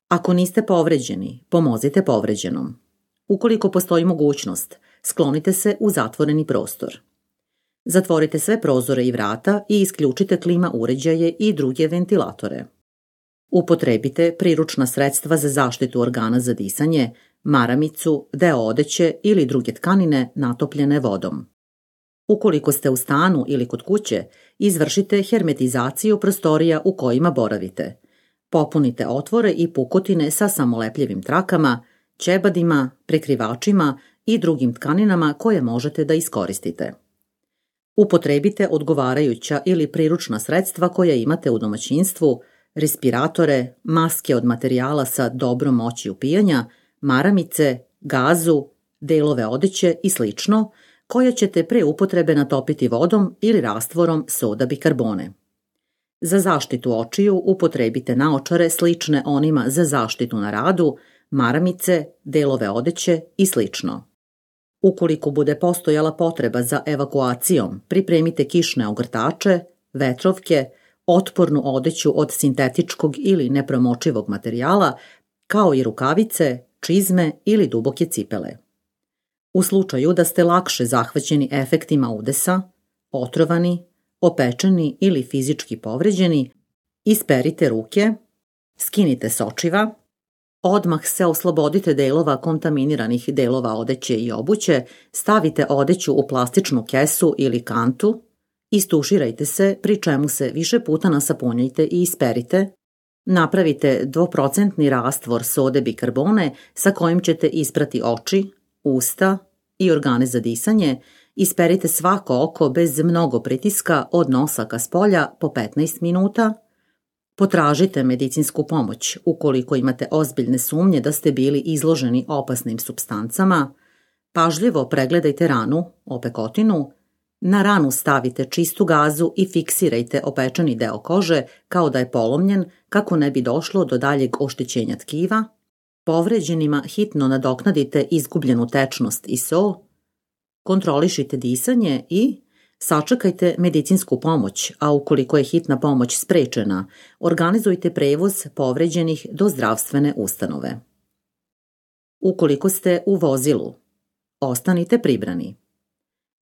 Ako niste povređeni, pomozite povređenom. Ukoliko postoji mogućnost, sklonite se u zatvoreni prostor. Zatvorite sve prozore i vrata i isključite klima uređaje i druge ventilatore. Upotrebite priručna sredstva za zaštitu organa za disanje, maramicu, deo odeće ili druge tkanine natopljene vodom. Ukoliko ste u stanu ili kod kuće, izvršite hermetizaciju prostorija u kojima boravite. Popunite otvore i pukotine sa samolepljivim trakama, ćebadima, prekrivačima i drugim tkaninama koje možete da iskoristite. Upotrebite odgovarajuća ili priručna sredstva koja imate u domaćinstvu, respiratore, maske od materijala sa dobrom moći upijanja, maramice, gazu, delove odeće i sl. Koje ćete pre upotrebe natopiti vodom ili rastvorom soda bikarbone. Za zaštitu očiju upotrebite naočare slične onima za zaštitu na radu, maramice, delove odeće i sl. Ukoliko bude postojala potreba za evakuacijom, pripremite kišne ogrtače, vetrovke, otpornu odeću od sintetičkog ili nepromočivog materijala, kao i rukavice, čizme ili duboke cipele. U slučaju da ste lakše zahvaćeni efektima udesa, otrovani, opečeni ili fizički povređeni, isperite ruke, skinite s očiva, odmah se oslobodite delova kontaminiranih delova odeće i obuće, stavite odeću u plastičnu kesu ili kantu, istuširajte se, pri čemu se više puta nasapunjajte i isperite, napravite 2% rastvor sode bikarbone sa kojim ćete isprati oči, usta i organe za disanje, isperite svako oko bez mnogo pritiska od nosa ka spolja po 15 minuta, potražite medicinsku pomoć ukoliko imate ozbiljne sumnje da ste bili izloženi opasnim supstancama, pažljivo pregledajte ranu, opekotinu, Na ranu stavite čistu gazu i fiksirajte opečeni deo kože kao da je polomljen kako ne bi došlo do daljeg oštećenja tkiva. Povređenima hitno nadoknadite izgubljenu tečnost i so, kontrolišite disanje i sačekajte medicinsku pomoć, a ukoliko je hitna pomoć sprečena, organizujte prevoz povređenih do zdravstvene ustanove. Ukoliko ste u vozilu, ostanite pribrani.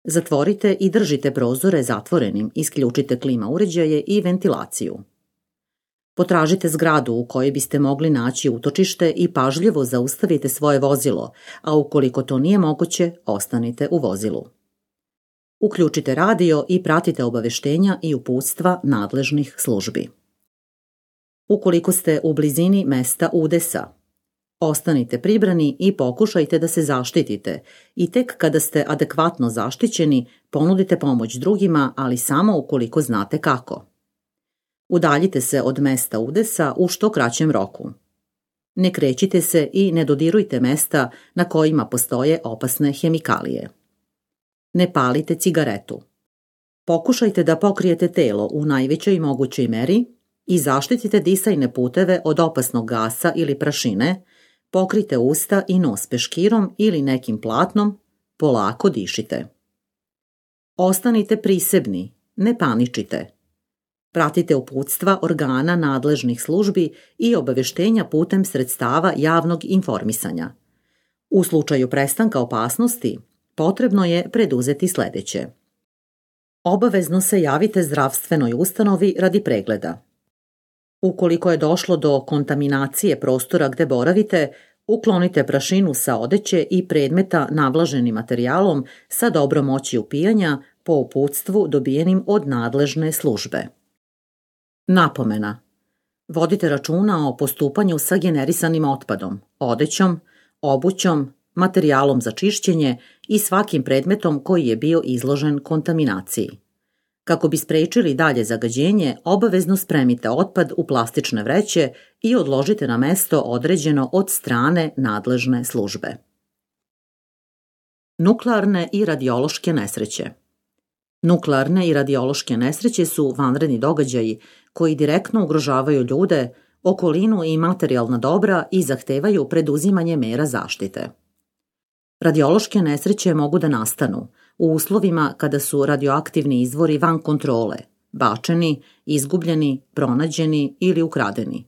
Zatvorite i držite prozore zatvorenim, isključite klima uređaje i ventilaciju. Potražite zgradu u kojoj biste mogli naći utočište i pažljivo zaustavite svoje vozilo, a ukoliko to nije moguće, ostanite u vozilu. Uključite radio i pratite obaveštenja i uputstva nadležnih službi. Ukoliko ste u blizini mesta udesa, ostanite pribrani i pokušajte da se zaštitite i tek kada ste adekvatno zaštićeni, ponudite pomoć drugima, ali samo ukoliko znate kako. Udaljite se od mesta udesa u što kraćem roku. Ne krećite se i ne dodirujte mesta na kojima postoje opasne hemikalije. Ne palite cigaretu. Pokušajte da pokrijete telo u najvećoj mogućoj meri i zaštitite disajne puteve od opasnog gasa ili prašine, pokrite usta i nos peškirom ili nekim platnom, polako dišite. Ostanite prisebni, ne paničite. Pratite uputstva organa nadležnih službi i obaveštenja putem sredstava javnog informisanja. U slučaju prestanka opasnosti, potrebno je preduzeti sledeće. Obavezno se javite zdravstvenoj ustanovi radi pregleda. Ukoliko je došlo do kontaminacije prostora gde boravite, uklonite prašinu sa odeće i predmeta navlaženim materijalom sa dobrom moći upijanja po uputstvu dobijenim od nadležne službe. Napomena. Vodite računa o postupanju sa generisanim otpadom, odećom, obućom, materijalom za čišćenje i svakim predmetom koji je bio izložen kontaminaciji. Kako bi sprečili dalje zagađenje, obavezno spremite otpad u plastične vreće i odložite na mesto određeno od strane nadležne službe. Nuklearne i radiološke nesreće. Nuklearne i radiološke nesreće su vanredni događaji koji direktno ugrožavaju ljude, okolinu i materijalna dobra i zahtevaju preduzimanje mera zaštite. Radiološke nesreće mogu da nastanu u uslovima kada su radioaktivni izvori van kontrole, bačeni, izgubljeni, pronađeni ili ukradeni,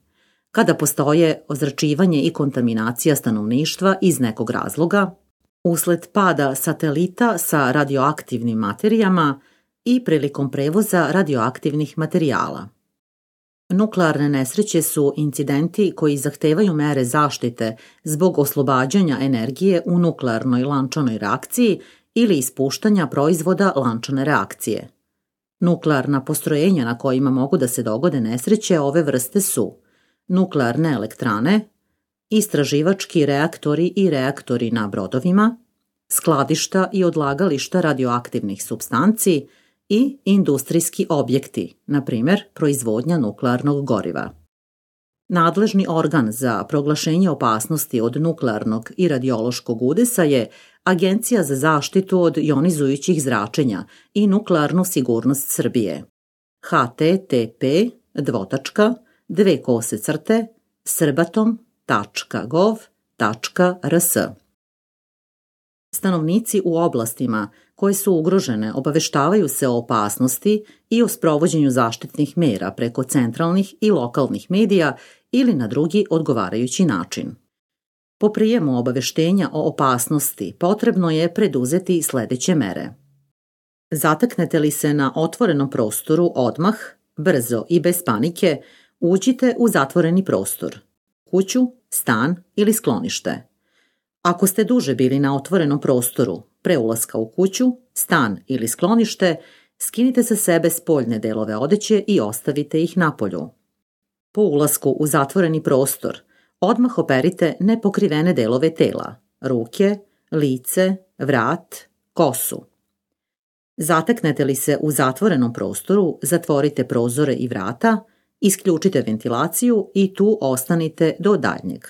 kada postoje ozračivanje i kontaminacija stanovništva iz nekog razloga, usled pada satelita sa radioaktivnim materijama i prilikom prevoza radioaktivnih materijala. Nuklearne nesreće su incidenti koji zahtevaju mere zaštite zbog oslobađanja energije u nuklearnoj lančanoj reakciji ili ispuštanja proizvoda lančane reakcije. Nuklearna postrojenja na kojima mogu da se dogode nesreće ove vrste su nuklearne elektrane, istraživački reaktori i reaktori na brodovima, skladišta i odlagališta radioaktivnih supstanci i industrijski objekti, na primjer proizvodnja nuklearnog goriva. Nadležni organ za proglašenje opasnosti od nuklearnog i radiološkog udesa je Agencija za zaštitu od jonizujućih zračenja i nuklearnu sigurnost Srbije. http://srbatom.gov.rs. Stanovnici u oblastima koje su ugrožene obaveštavaju se o opasnosti i o sprovođenju zaštitnih mera preko centralnih i lokalnih medija ili na drugi odgovarajući način. Po prijemu obaveštenja o opasnosti potrebno je preduzeti sledeće mere. Zateknete li se na otvorenom prostoru odmah, brzo i bez panike, uđite u zatvoreni prostor, kuću, stan ili sklonište. Ako ste duže bili na otvorenom prostoru, pre ulaska u kuću, stan ili sklonište, skinite sa sebe spoljne delove odeće i ostavite ih napolju. Po ulasku u zatvoreni prostor, odmah operite nepokrivene delove tela, ruke, lice, vrat, kosu. Zateknete li se u zatvorenom prostoru, zatvorite prozore i vrata, isključite ventilaciju i tu ostanite do daljnjeg.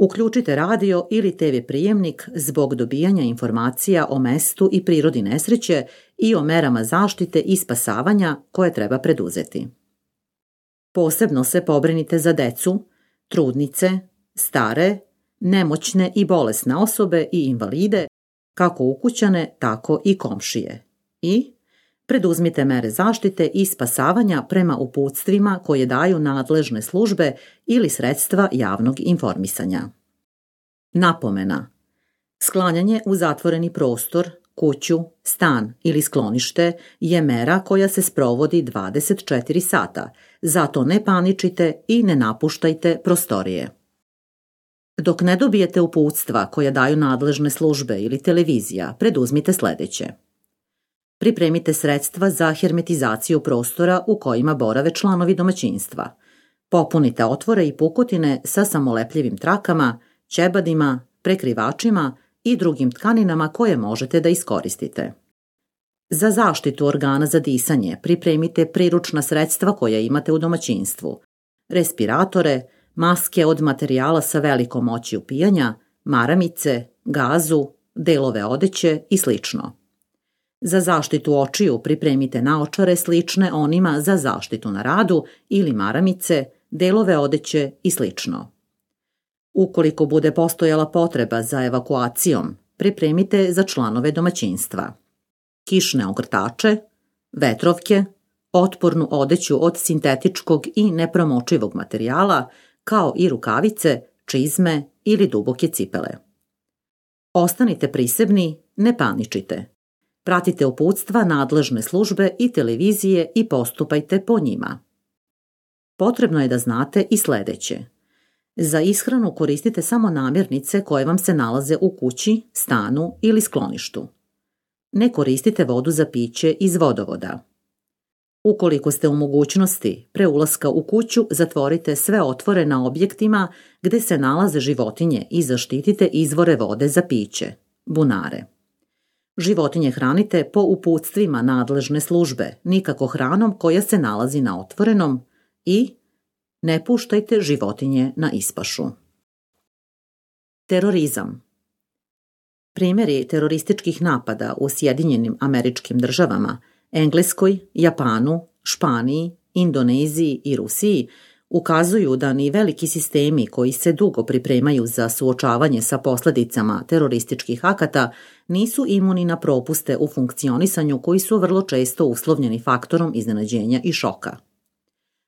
Uključite radio ili TV prijemnik zbog dobijanja informacija o mestu i prirodi nesreće i o merama zaštite i spasavanja koje treba preduzeti. Posebno se pobrinite za decu, trudnice, stare, nemoćne i bolesne osobe i invalide, kako ukućane, tako i komšije. I preduzmite mere zaštite i spasavanja prema uputstvima koje daju nadležne službe ili sredstva javnog informisanja. Napomena. Sklanjanje u zatvoreni prostor, kuću, stan ili sklonište je mera koja se sprovodi 24 sata, zato ne paničite i ne napuštajte prostorije. Dok ne dobijete uputstva koja daju nadležne službe ili televizija, preduzmite sledeće. Pripremite sredstva za hermetizaciju prostora u kojima borave članovi domaćinstva. Popunite otvore i pukotine sa samolepljivim trakama, ćebadima, prekrivačima i drugim tkaninama koje možete da iskoristite. Za zaštitu organa za disanje pripremite priručna sredstva koja imate u domaćinstvu. Respiratore, maske od materijala sa velikom moći upijanja, maramice, gazu, delove odeće i sl. Za zaštitu očiju pripremite naočare slične onima za zaštitu na radu ili maramice, delove odeće i sl. Ukoliko bude postojala potreba za evakuacijom, pripremite za članove domaćinstva kišne ogrtače, vetrovke, otpornu odeću od sintetičkog i nepromočivog materijala, kao i rukavice, čizme ili duboke cipele. Ostanite prisebni, ne paničite. Pratite uputstva nadležne službe i televizije i postupajte po njima. Potrebno je da znate i sledeće. Za ishranu koristite samo namirnice koje vam se nalaze u kući, stanu ili skloništu. Ne koristite vodu za piće iz vodovoda. Ukoliko ste u mogućnosti pre ulaska u kuću, zatvorite sve otvore na objektima gde se nalaze životinje i zaštitite izvore vode za piće, bunare. Životinje hranite po uputstvima nadležne službe, nikako hranom koja se nalazi na otvorenom i ne puštajte životinje na ispašu. Terorizam. Primjeri terorističkih napada u Sjedinjenim Američkim Državama, Engleskoj, Japanu, Španiji, Indoneziji i Rusiji ukazuju da ni veliki sistemi koji se dugo pripremaju za suočavanje sa posledicama terorističkih akata nisu imuni na propuste u funkcionisanju koji su vrlo često uslovljeni faktorom iznenađenja i šoka.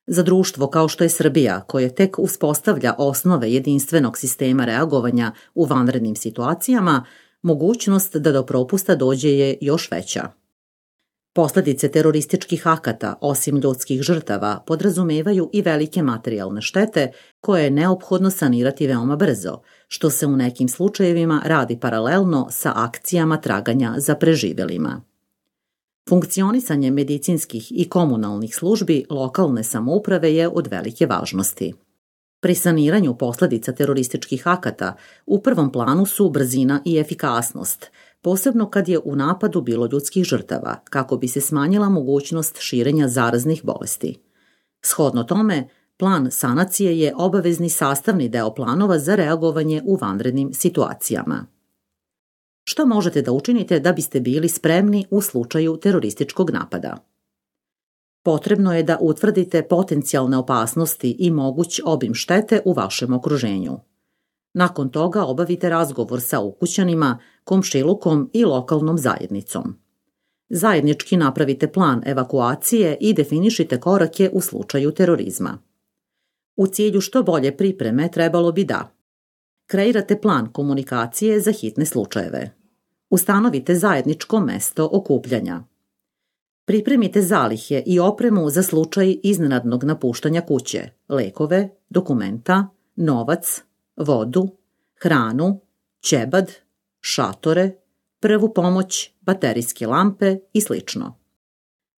Za društvo kao što je Srbija, koje tek uspostavlja osnove jedinstvenog sistema reagovanja u vanrednim situacijama, mogućnost da do propusta dođe je još veća. Posledice terorističkih akata, osim ljudskih žrtava, podrazumevaju i velike materijalne štete koje je neophodno sanirati veoma brzo, što se u nekim slučajevima radi paralelno sa akcijama traganja za preživelima. Funkcionisanje medicinskih i komunalnih službi lokalne samouprave je od velike važnosti. Pri saniranju posledica terorističkih akata u prvom planu su brzina i efikasnost, posebno kad je u napadu bilo ljudskih žrtava, kako bi se smanjila mogućnost širenja zaraznih bolesti. Shodno tome, plan sanacije je obavezni sastavni deo planova za reagovanje u vanrednim situacijama. Šta možete da učinite da biste bili spremni u slučaju terorističkog napada? Potrebno je da utvrdite potencijalne opasnosti i moguć obim štete u vašem okruženju. Nakon toga obavite razgovor sa ukućanima, komšilukom i lokalnom zajednicom. Zajednički napravite plan evakuacije i definišite korake u slučaju terorizma. U cilju što bolje pripreme trebalo bi da kreirate plan komunikacije za hitne slučajeve. Ustanovite zajedničko mesto okupljanja. Pripremite zalihe i opremu za slučaj iznenadnog napuštanja kuće, lekove, dokumenta, novac, vodu, hranu, ćebad, šatore, prvu pomoć, baterijske lampe i sl.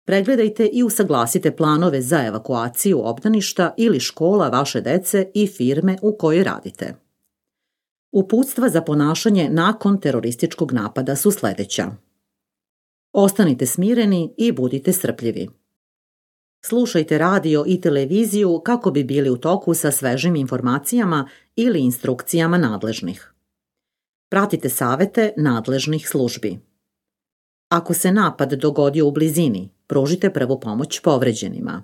Pregledajte i usaglasite planove za evakuaciju obdaništa ili škola vaše dece i firme u kojoj radite. Uputstva za ponašanje nakon terorističkog napada su sledeća. Ostanite smireni i budite strpljivi. Slušajte radio i televiziju kako bi bili u toku sa svežim informacijama ili instrukcijama nadležnih. Pratite savete nadležnih službi. Ako se napad dogodio u blizini, pružite prvu pomoć povređenima.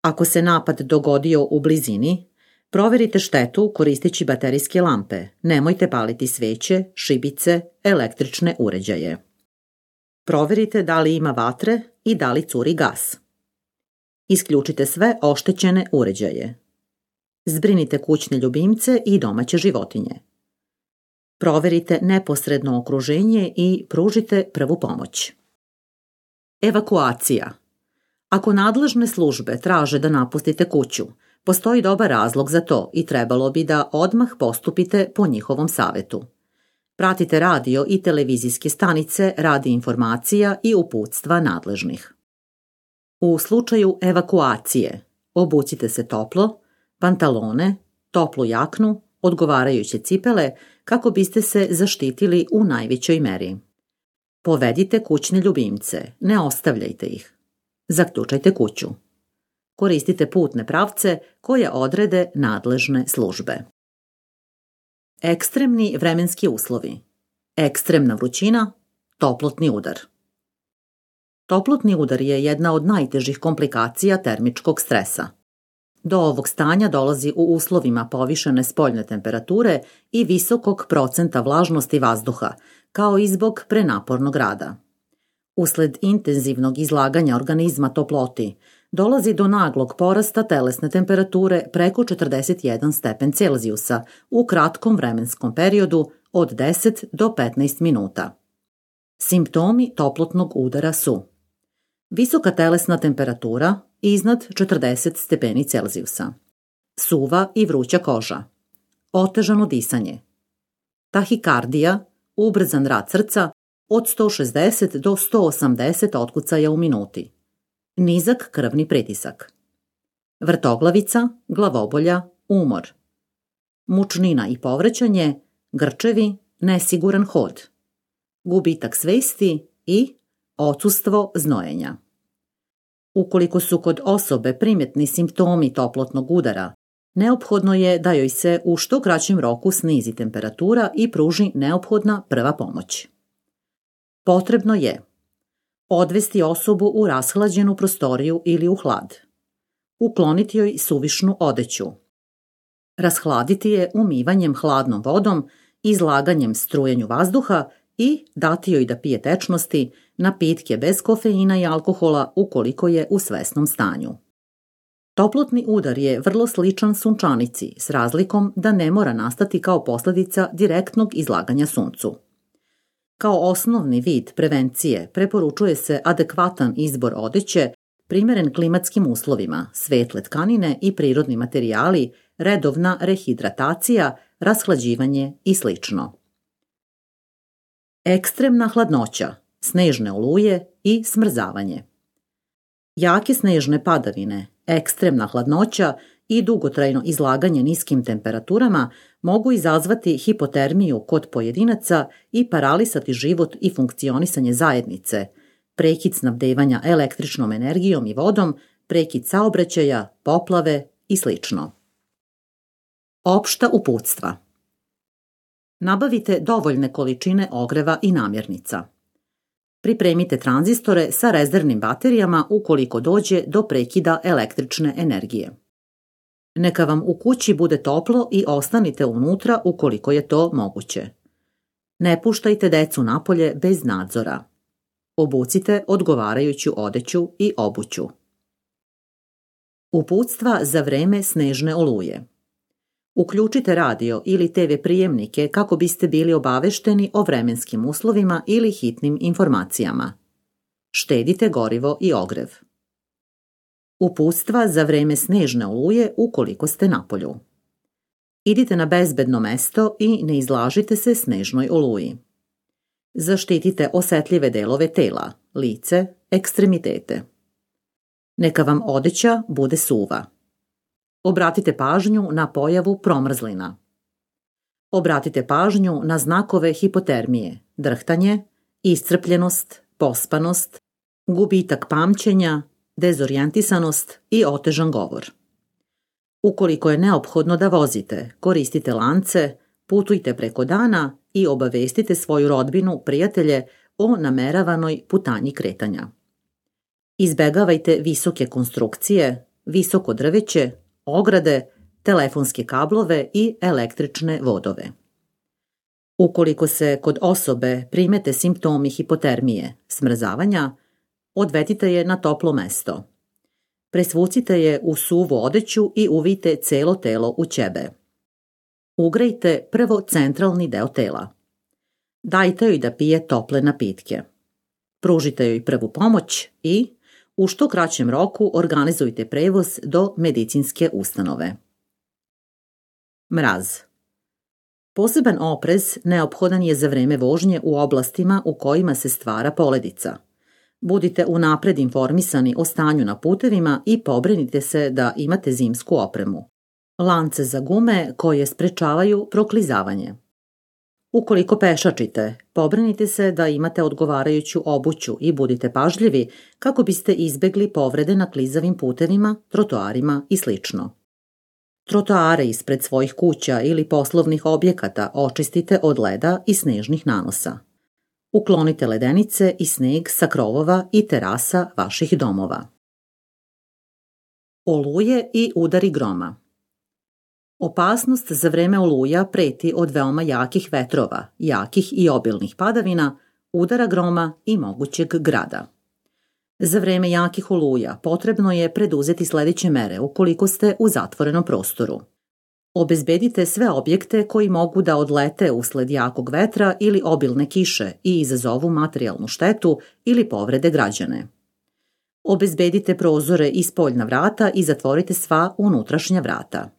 Ako se napad dogodio u blizini, proverite štetu koristeći baterijske lampe. Nemojte paliti sveće, šibice, električne uređaje. Proverite da li ima vatre i da li curi gas. Isključite sve oštećene uređaje. Zbrinite kućne ljubimce i domaće životinje. Proverite neposredno okruženje i pružite prvu pomoć. Evakuacija. Ako nadležne službe traže da napustite kuću, postoji dobar razlog za to i trebalo bi da odmah postupite po njihovom savetu. Pratite radio i televizijske stanice radi informacija i uputstva nadležnih. U slučaju evakuacije, obucite se toplo, pantalone, toplu jaknu, odgovarajuće cipele kako biste se zaštitili u najvećoj meri. Povedite kućne ljubimce, ne ostavljajte ih. Zaključajte kuću. Koristite putne pravce koje odrede nadležne službe. Ekstremni vremenski uslovi. Ekstremna vrućina, toplotni udar. Toplotni udar je jedna od najtežih komplikacija termičkog stresa. Do ovog stanja dolazi u uslovima povišene spoljne temperature i visokog procenta vlažnosti vazduha, kao i zbog prenapornog rada. Usled intenzivnog izlaganja organizma toploti, dolazi do naglog porasta telesne temperature preko 41 stepen Celzijusa u kratkom vremenskom periodu od 10 do 15 minuta. Simptomi toplotnog udara su visoka telesna temperatura iznad 40 stepeni Celzijusa, suva i vruća koža, otežano disanje, tahikardija, ubrzan rad srca od 160 do 180 otkucaja u minuti, nizak krvni pritisak, vrtoglavica, glavobolja, umor, mučnina i povraćanje, grčevi, nesiguran hod, gubitak svesti i odsustvo znojenja. Ukoliko su kod osobe primjetni simptomi toplotnog udara, neophodno je da joj se u što kraćem roku snizi temperatura i pruži neophodna prva pomoć. Potrebno je odvesti osobu u rashlađenu prostoriju ili u hlad, ukloniti joj suvišnu odeću, rashladiti je umivanjem hladnom vodom, izlaganjem strujenju vazduha i dati joj da pije tečnosti, napitke bez kofeina i alkohola ukoliko je u svesnom stanju. Toplotni udar je vrlo sličan sunčanici s razlikom da ne mora nastati kao posljedica direktnog izlaganja suncu. Kao osnovni vid prevencije preporučuje se adekvatan izbor odeće, primjeren klimatskim uslovima, svetle tkanine i prirodni materijali, redovna rehidratacija, rashlađivanje i sl. Ekstremna hladnoća, snežne oluje i smrzavanje. Jake snežne padavine, ekstremna hladnoća i dugotrajno izlaganje niskim temperaturama mogu izazvati hipotermiju kod pojedinaca i paralisati život i funkcionisanje zajednice, prekid snabdevanja električnom energijom i vodom, prekid saobraćaja, poplave i sl. Opšta uputstva. Nabavite dovoljne količine ogreva i namirnica. Pripremite tranzistore sa rezervnim baterijama ukoliko dođe do prekida električne energije. Neka vam u kući bude toplo i ostanite unutra ukoliko je to moguće. Ne puštajte decu napolje bez nadzora. Obucite odgovarajuću odeću i obuću. Uputstva za vreme snežne oluje. Uključite radio ili TV prijemnike kako biste bili obavešteni o vremenskim uslovima ili hitnim informacijama. Štedite gorivo i ogrev. Uputstva za vreme snežne oluje ukoliko ste napolju. Idite na bezbedno mesto i ne izlažite se snežnoj oluji. Zaštitite osetljive delove tela, lice, ekstremitete. Neka vam odeća bude suva. Obratite pažnju na pojavu promrzlina. Obratite pažnju na znakove hipotermije, drhtanje, iscrpljenost, pospanost, gubitak pamćenja, dezorijentisanost i otežan govor. Ukoliko je neophodno da vozite, koristite lance, putujte preko dana i obavestite svoju rodbinu, prijatelje o nameravanoj putanji kretanja. Izbegavajte visoke konstrukcije, visoko drveće, ograde, telefonske kablove i električne vodove. Ukoliko se kod osobe primete simptomi hipotermije, smrzavanja, odvedite je na toplo mesto. Presvucite je u suvu odeću i uvijte celo telo u ćebe. Ugrejte prvo centralni deo tela. Dajte joj da pije tople napitke. Pružite joj prvu pomoć i u što kraćem roku organizujte prevoz do medicinske ustanove. Mraz. Poseban oprez neophodan je za vreme vožnje u oblastima u kojima se stvara poledica. Budite unapred informisani o stanju na putevima i pobrinite se da imate zimsku opremu. Lance za gume koje sprečavaju proklizavanje. Ukoliko pešačite, pobrinite se da imate odgovarajuću obuću i budite pažljivi kako biste izbegli povrede na klizavim putevima, trotoarima i sl. Trotoare ispred svojih kuća ili poslovnih objekata očistite od leda i snežnih nanosa. Uklonite ledenice i sneg sa krovova i terasa vaših domova. Oluje i udari groma. Opasnost za vreme oluja preti od veoma jakih vetrova, jakih i obilnih padavina, udara groma i mogućeg grada. Za vreme jakih oluja potrebno je preduzeti sledeće mere ukoliko ste u zatvorenom prostoru. Obezbedite sve objekte koji mogu da odlete usled jakog vetra ili obilne kiše i izazovu materijalnu štetu ili povrede građane. Obezbedite prozore i spoljna vrata i zatvorite sva unutrašnja vrata.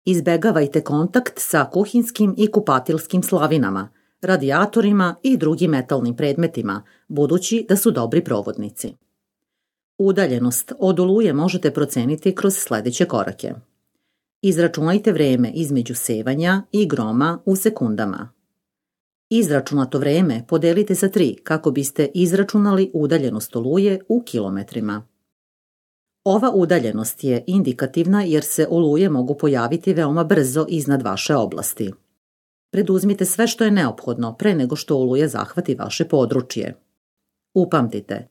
Izbegavajte kontakt sa kuhinskim i kupatilskim slavinama, radijatorima i drugim metalnim predmetima, budući da su dobri provodnici. Udaljenost od oluje možete proceniti kroz sledeće korake. Izračunajte vreme između sevanja i groma u sekundama. Izračunato vreme podelite sa 3 kako biste izračunali udaljenost oluje u kilometrima. Ova udaljenost je indikativna jer se oluje mogu pojaviti veoma brzo iznad vaše oblasti. Preduzmite sve što je neophodno pre nego što oluja zahvati vaše područje. Upamtite,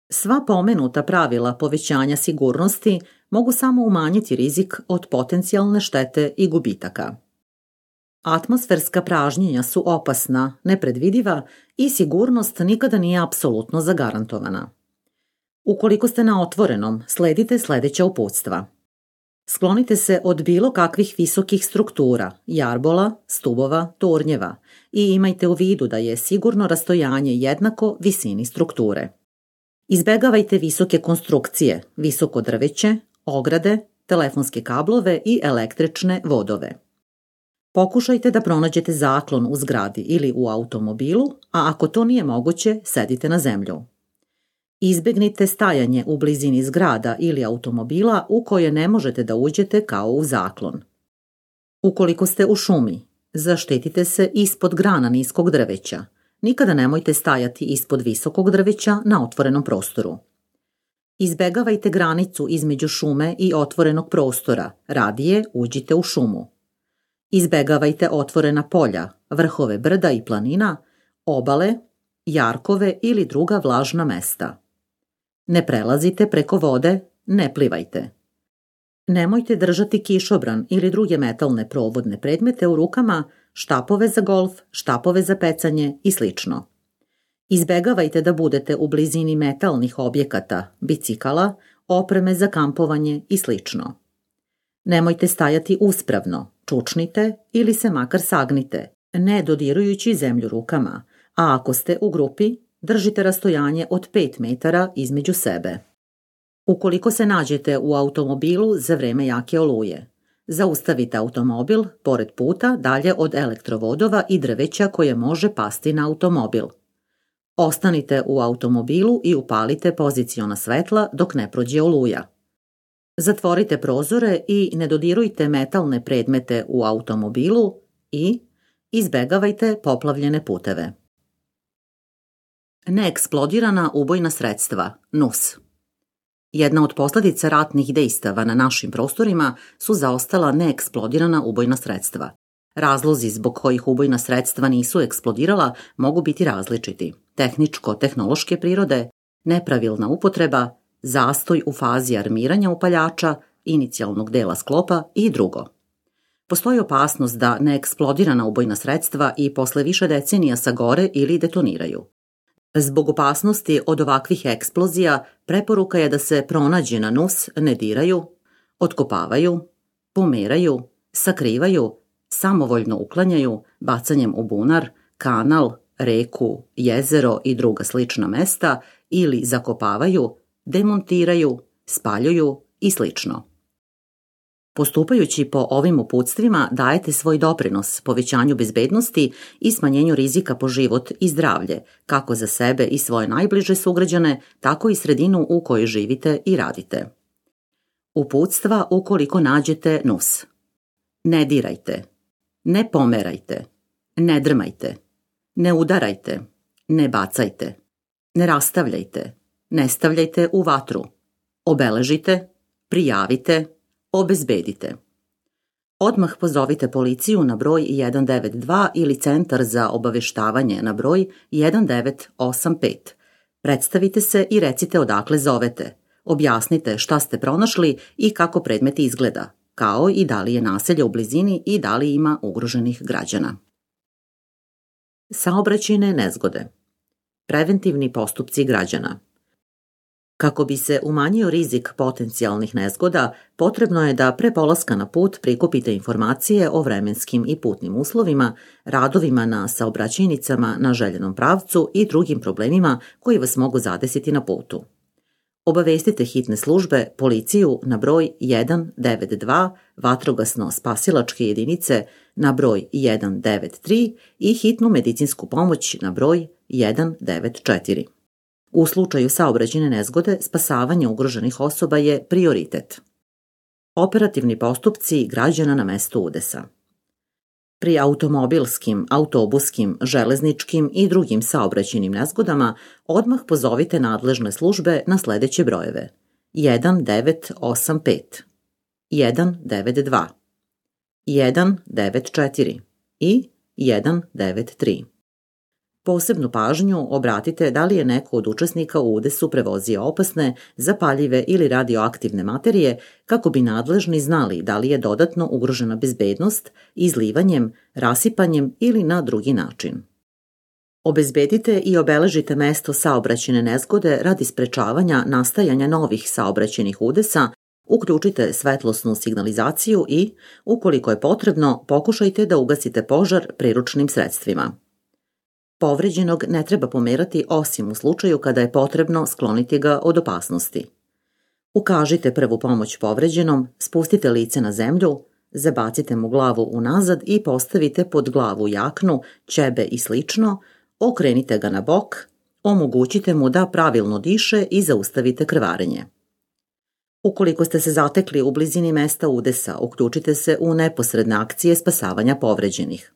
sva pomenuta pravila povećanja sigurnosti mogu samo umanjiti rizik od potencijalne štete i gubitaka. Atmosferska pražnjenja su opasna, nepredvidiva i sigurnost nikada nije apsolutno zagarantovana. Ukoliko ste na otvorenom, sledite sledeća uputstva. Sklonite se od bilo kakvih visokih struktura, jarbola, stubova, tornjeva i imajte u vidu da je sigurno rastojanje jednako visini strukture. Izbegavajte visoke konstrukcije, visoko drveće, ograde, telefonske kablove i električne vodove. Pokušajte da pronađete zaklon u zgradi ili u automobilu, a ako to nije moguće, sedite na zemlju. Izbegnite stajanje u blizini zgrada ili automobila u koje ne možete da uđete kao u zaklon. Ukoliko ste u šumi, zaštitite se ispod grana niskog drveća. Nikada nemojte stajati ispod visokog drveća na otvorenom prostoru. Izbegavajte granicu između šume i otvorenog prostora, radije uđite u šumu. Izbegavajte otvorena polja, vrhove brda i planina, obale, jarkove ili druga vlažna mesta. Ne prelazite preko vode, ne plivajte. Nemojte držati kišobran ili druge metalne provodne predmete u rukama, štapove za golf, štapove za pecanje i sl. Izbegavajte da budete u blizini metalnih objekata, bicikala, opreme za kampovanje i sl. Nemojte stajati uspravno, čučnite ili se makar sagnite, ne dodirujući zemlju rukama, a ako ste u grupi, držite rastojanje od 5 metara između sebe. Ukoliko se nađete u automobilu za vreme jake oluje, zaustavite automobil pored puta dalje od elektrovodova i drveća koje može pasti na automobil. Ostanite u automobilu i upalite poziciona svetla dok ne prođe oluja. Zatvorite prozore i ne dodirujte metalne predmete u automobilu i izbegavajte poplavljene puteve. Neeksplodirana ubojna sredstva, NUS. Jedna od posljedica ratnih dejstava na našim prostorima su zaostala neeksplodirana ubojna sredstva. Razlozi zbog kojih ubojna sredstva nisu eksplodirala mogu biti različiti: tehničko-tehnološke prirode, nepravilna upotreba, zastoj u fazi armiranja upaljača, inicijalnog dela sklopa i drugo. Postoji opasnost da neeksplodirana ubojna sredstva i posle više decenija sagore ili detoniraju. Zbog opasnosti od ovakvih eksplozija, preporuka je da se pronađena nus ne diraju, otkopavaju, pomeraju, sakrivaju, samovoljno uklanjaju bacanjem u bunar, kanal, reku, jezero i druga slična mesta ili zakopavaju, demontiraju, spaljuju i slično. Postupajući po ovim uputstvima dajete svoj doprinos povećanju bezbednosti i smanjenju rizika po život i zdravlje, kako za sebe i svoje najbliže sugrađane, tako i sredinu u kojoj živite i radite. Uputstva ukoliko nađete nus: ne dirajte, ne pomerajte, ne drmajte, ne udarajte, ne bacajte, ne rastavljajte, ne stavljajte u vatru, obeležite, prijavite, obezbedite. Odmah pozovite policiju na broj 192 ili centar za obaveštavanje na broj 1985. Predstavite se i recite odakle zovete. Objasnite šta ste pronašli i kako predmet izgleda, kao i da li je naselje u blizini i da li ima ugroženih građana. Saobraćajne nezgode. Preventivni postupci građana. Kako bi se umanjio rizik potencijalnih nezgoda, potrebno je da pre polaska na put prikupite informacije o vremenskim i putnim uslovima, radovima na saobraćajnicama na željenom pravcu i drugim problemima koji vas mogu zadesiti na putu. Obavestite hitne službe, policiju na broj 192, vatrogasno-spasilačke jedinice na broj 193 i hitnu medicinsku pomoć na broj 194. U slučaju saobraćajne nezgode, spasavanje ugroženih osoba je prioritet. Operativni postupci građana na mestu udesa. Pri automobilskim, autobuskim, železničkim i drugim saobraćajnim nezgodama odmah pozovite nadležne službe na sledeće brojeve: 1985, 192, 194 i 193. Posebnu pažnju obratite da li je neko od učesnika u udesu prevozio opasne, zapaljive ili radioaktivne materije, kako bi nadležni znali da li je dodatno ugrožena bezbednost izlivanjem, rasipanjem ili na drugi način. Obezbedite i obeležite mesto saobraćajne nezgode radi sprečavanja nastajanja novih saobraćajnih udesa, uključite svetlosnu signalizaciju i, ukoliko je potrebno, pokušajte da ugasite požar priručnim sredstvima. Povređenog ne treba pomerati osim u slučaju kada je potrebno skloniti ga od opasnosti. Ukažite prvu pomoć povređenom, spustite lice na zemlju, zabacite mu glavu unazad i postavite pod glavu jaknu, ćebe i slično, okrenite ga na bok, omogućite mu da pravilno diše i zaustavite krvarenje. Ukoliko ste se zatekli u blizini mesta udesa, uključite se u neposredne akcije spasavanja povređenih.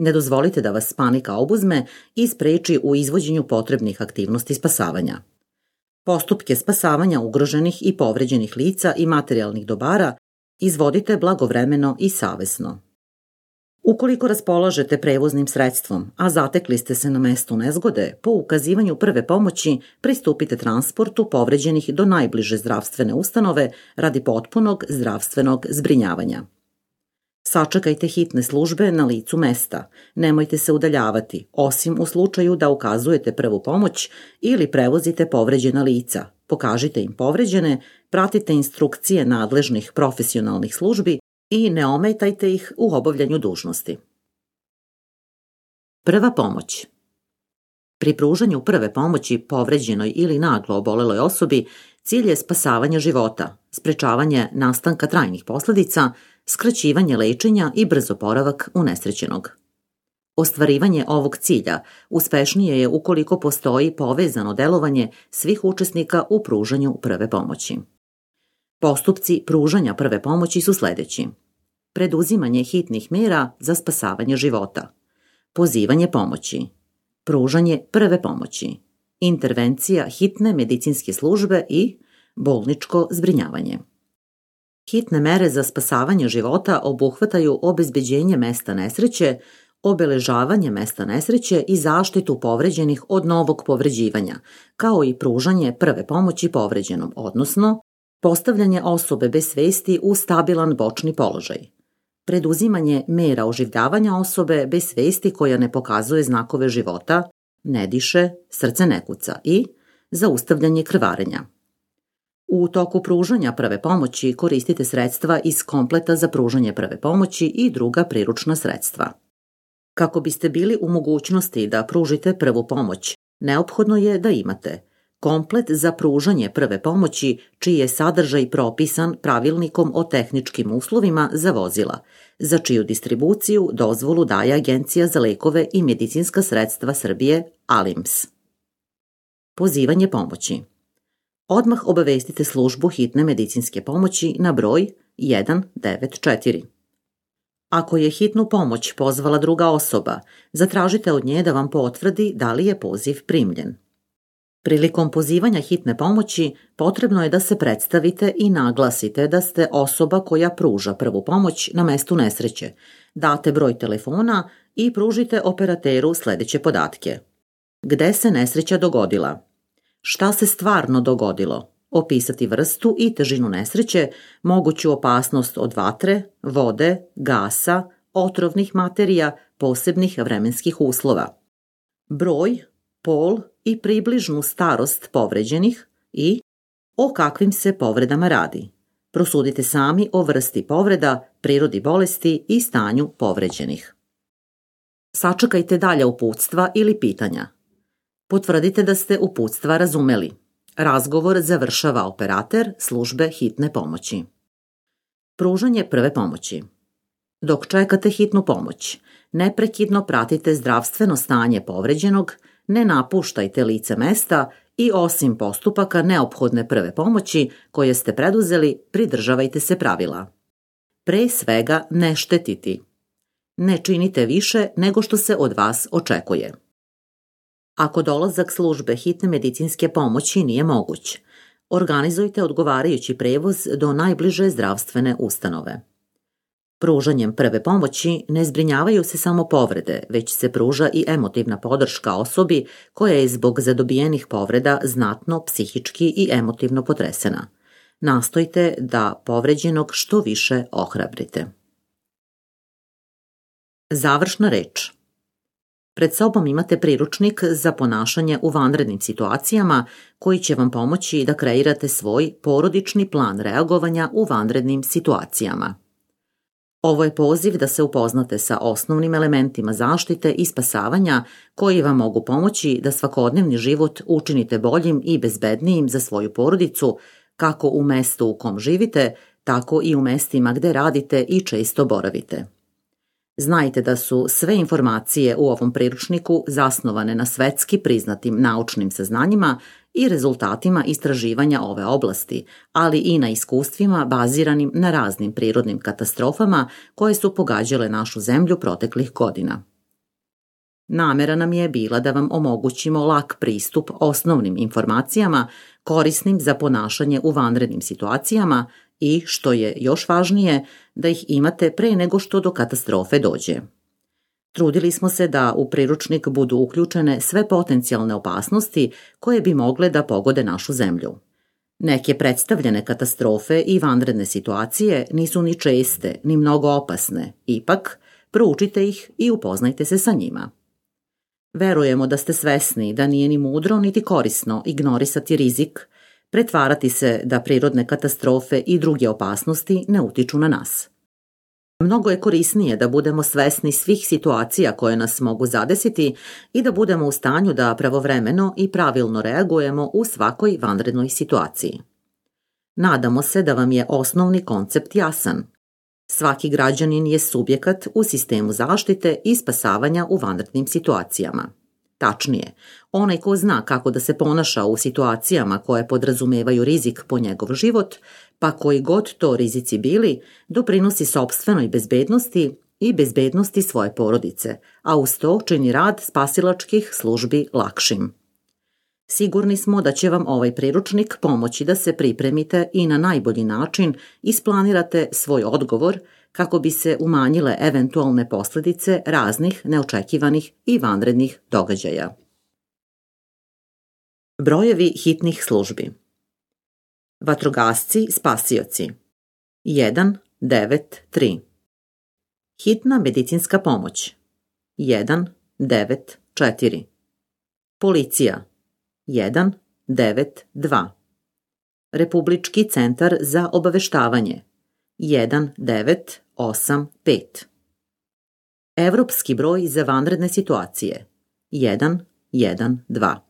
Ne dozvolite da vas panika obuzme i spreči u izvođenju potrebnih aktivnosti spasavanja. Postupke spasavanja ugroženih i povređenih lica i materijalnih dobara izvodite blagovremeno i savesno. Ukoliko raspolažete prevoznim sredstvom, a zatekli ste se na mestu nezgode, po ukazivanju prve pomoći pristupite transportu povređenih do najbliže zdravstvene ustanove radi potpunog zdravstvenog zbrinjavanja. Sačekajte hitne službe na licu mesta, nemojte se udaljavati, osim u slučaju da ukazujete prvu pomoć ili prevozite povređena lica. Pokažite im povređene, pratite instrukcije nadležnih profesionalnih službi i ne ometajte ih u obavljanju dužnosti. Prva pomoć. Pri pružanju prve pomoći povređenoj ili naglo oboleloj osobi cilj je spasavanje života, sprečavanje nastanka trajnih posljedica, skraćivanje lečenja i brz oporavak unesrećenog. Ostvarivanje ovog cilja uspešnije je ukoliko postoji povezano delovanje svih učesnika u pružanju prve pomoći. Postupci pružanja prve pomoći su sledeći: preduzimanje hitnih mera za spasavanje života, pozivanje pomoći, pružanje prve pomoći, intervencija hitne medicinske službe i bolničko zbrinjavanje. Hitne mere za spasavanje života obuhvataju obezbeđenje mesta nesreće, obeležavanje mesta nesreće i zaštitu povređenih od novog povređivanja, kao i pružanje prve pomoći povređenom, odnosno postavljanje osobe bez svesti u stabilan bočni položaj, preduzimanje mera oživljavanja osobe bez svesti koja ne pokazuje znakove života, ne diše, srce ne kuca i zaustavljanje krvarenja. U toku pružanja prve pomoći koristite sredstva iz kompleta za pružanje prve pomoći i druga priručna sredstva. Kako biste bili u mogućnosti da pružite prvu pomoć, neophodno je da imate komplet za pružanje prve pomoći čiji je sadržaj propisan pravilnikom o tehničkim uslovima za vozila, za čiju distribuciju dozvolu daje Agencija za lekove i medicinska sredstva Srbije ALIMS. Pozivanje pomoći. Odmah obavestite službu hitne medicinske pomoći na broj 194. Ako je hitnu pomoć pozvala druga osoba, zatražite od nje da vam potvrdi da li je poziv primljen. Prilikom pozivanja hitne pomoći potrebno je da se predstavite i naglasite da ste osoba koja pruža prvu pomoć na mestu nesreće, date broj telefona i pružite operateru sledeće podatke. Gde se nesreća dogodila? Šta se stvarno dogodilo? Opisati vrstu i težinu nesreće, moguću opasnost od vatre, vode, gasa, otrovnih materija, posebnih vremenskih uslova. Broj, pol i približnu starost povređenih i o kakvim se povredama radi. Prosudite sami o vrsti povreda, prirodi bolesti i stanju povređenih. Sačekajte dalja uputstva ili pitanja. Potvrdite da ste uputstva razumeli. Razgovor završava operater službe hitne pomoći. Pružanje prve pomoći. Dok čekate hitnu pomoć, neprekidno pratite zdravstveno stanje povređenog, ne napuštajte lice mesta i osim postupaka neophodne prve pomoći koje ste preduzeli, pridržavajte se pravila. Pre svega ne štetiti. Ne činite više nego što se od vas očekuje. Ako dolazak službe hitne medicinske pomoći nije moguć, organizujte odgovarajući prevoz do najbliže zdravstvene ustanove. Pružanjem prve pomoći ne zbrinjavaju se samo povrede, već se pruža i emotivna podrška osobi koja je zbog zadobijenih povreda znatno psihički i emotivno potresena. Nastojte da povređenog što više ohrabrite. Završna reč. Pred sobom imate priručnik za ponašanje u vanrednim situacijama koji će vam pomoći da kreirate svoj porodični plan reagovanja u vanrednim situacijama. Ovo je poziv da se upoznate sa osnovnim elementima zaštite i spasavanja koji vam mogu pomoći da svakodnevni život učinite boljim i bezbednijim za svoju porodicu, kako u mestu u kom živite, tako i u mestima gde radite i često boravite. Znajte da su sve informacije u ovom priručniku zasnovane na svetski priznatim naučnim saznanjima i rezultatima istraživanja ove oblasti, ali i na iskustvima baziranim na raznim prirodnim katastrofama koje su pogađale našu zemlju proteklih godina. Namera nam je bila da vam omogućimo lak pristup osnovnim informacijama korisnim za ponašanje u vanrednim situacijama i, što je još važnije, da ih imate pre nego što do katastrofe dođe. Trudili smo se da u priručnik budu uključene sve potencijalne opasnosti koje bi mogle da pogode našu zemlju. Neke predstavljene katastrofe i vanredne situacije nisu ni česte, ni mnogo opasne, ipak proučite ih i upoznajte se sa njima. Verujemo da ste svesni da nije ni mudro niti korisno ignorisati rizik, pretvarati se da prirodne katastrofe i druge opasnosti ne utiču na nas. Mnogo je korisnije da budemo svesni svih situacija koje nas mogu zadesiti i da budemo u stanju da pravovremeno i pravilno reagujemo u svakoj vanrednoj situaciji. Nadamo se da vam je osnovni koncept jasan. Svaki građanin je subjekat u sistemu zaštite i spasavanja u vanrednim situacijama. Tačnije, onaj ko zna kako da se ponaša u situacijama koje podrazumevaju rizik po njegov život, pa koji god to rizici bili, doprinosi sopstvenoj bezbednosti i bezbednosti svoje porodice, a uz to čini rad spasilačkih službi lakšim. Sigurni smo da će vam ovaj priručnik pomoći da se pripremite i na najbolji način isplanirate svoj odgovor kako bi se umanjile eventualne posljedice raznih neočekivanih i vanrednih događaja. Brojevi hitnih službi. Vatrogasci spasioci 193. Hitna medicinska pomoć 194. Policija 192. Republički centar za obaveštavanje 1985. Evropski broj za vanredne situacije 112.